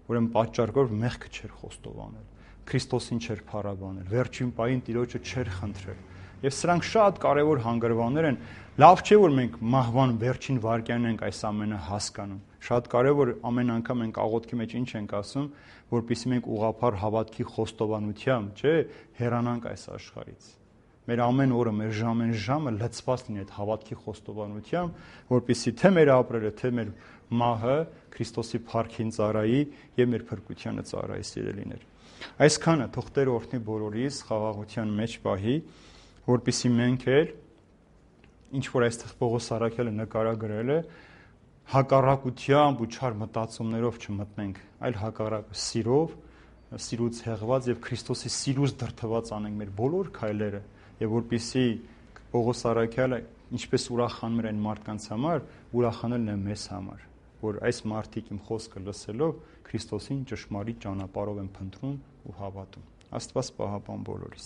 Ուրեմն պատճառ կար, մեղքը չէր խոստովանել, Քրիստոսին չէր փառաբանել, վերջին պահին Տիրոջը չէր խնդրել։ Եվ սրանք շատ կարևոր հանգրվաններ են։ Լավ չէ, որ մենք մահվան վերջին վայրկյանն ենք այս ամենը հասկանում։ Շատ կարևոր ամեն անգամ ենք աղոթքի մեջ ինչ ենք ասում, որpեսզի մենք ուղղափառ հավատքի խոստովանությամբ, չէ, հեռանանք այս աշխարհից։ Մեր ամեն օրը, մեր ժամեն ժամը լցված լինի այդ հավատքի խոստովանությամբ, որpեսզի թե մեր ապրելը, թե մեր մահը Քրիստոսի փառքին ծառայի եւ մեր փրկությանը ծառայի, սիրելիներ։ Այսքանը թող Տերը օրհնի բոլորիս խաղաղության մեջ պահի, որպեսզի մենք էլ ինչ որ այստեղ Պողոս առաքյալը նկարագրել է, հակառակությամբ ու չար մտածումներով չմտնենք, այլ հակառակը սիրով, սիրուց հեղված եւ Քրիստոսի սիրուց դրթված անենք մեր բոլոր քայլերը, եւ որպեսզի Պողոս առաքյալը ինչպես ուրախանում էր այն մարդկանց համար, ուրախանելն է մեզ համար, որ այս մարդիկ իմ խոսքը լսելով Քրիստոսին ճշմարիտ ճանապարհով են փնտրում ու հավատում։ Աստված պահապան բոլորիս։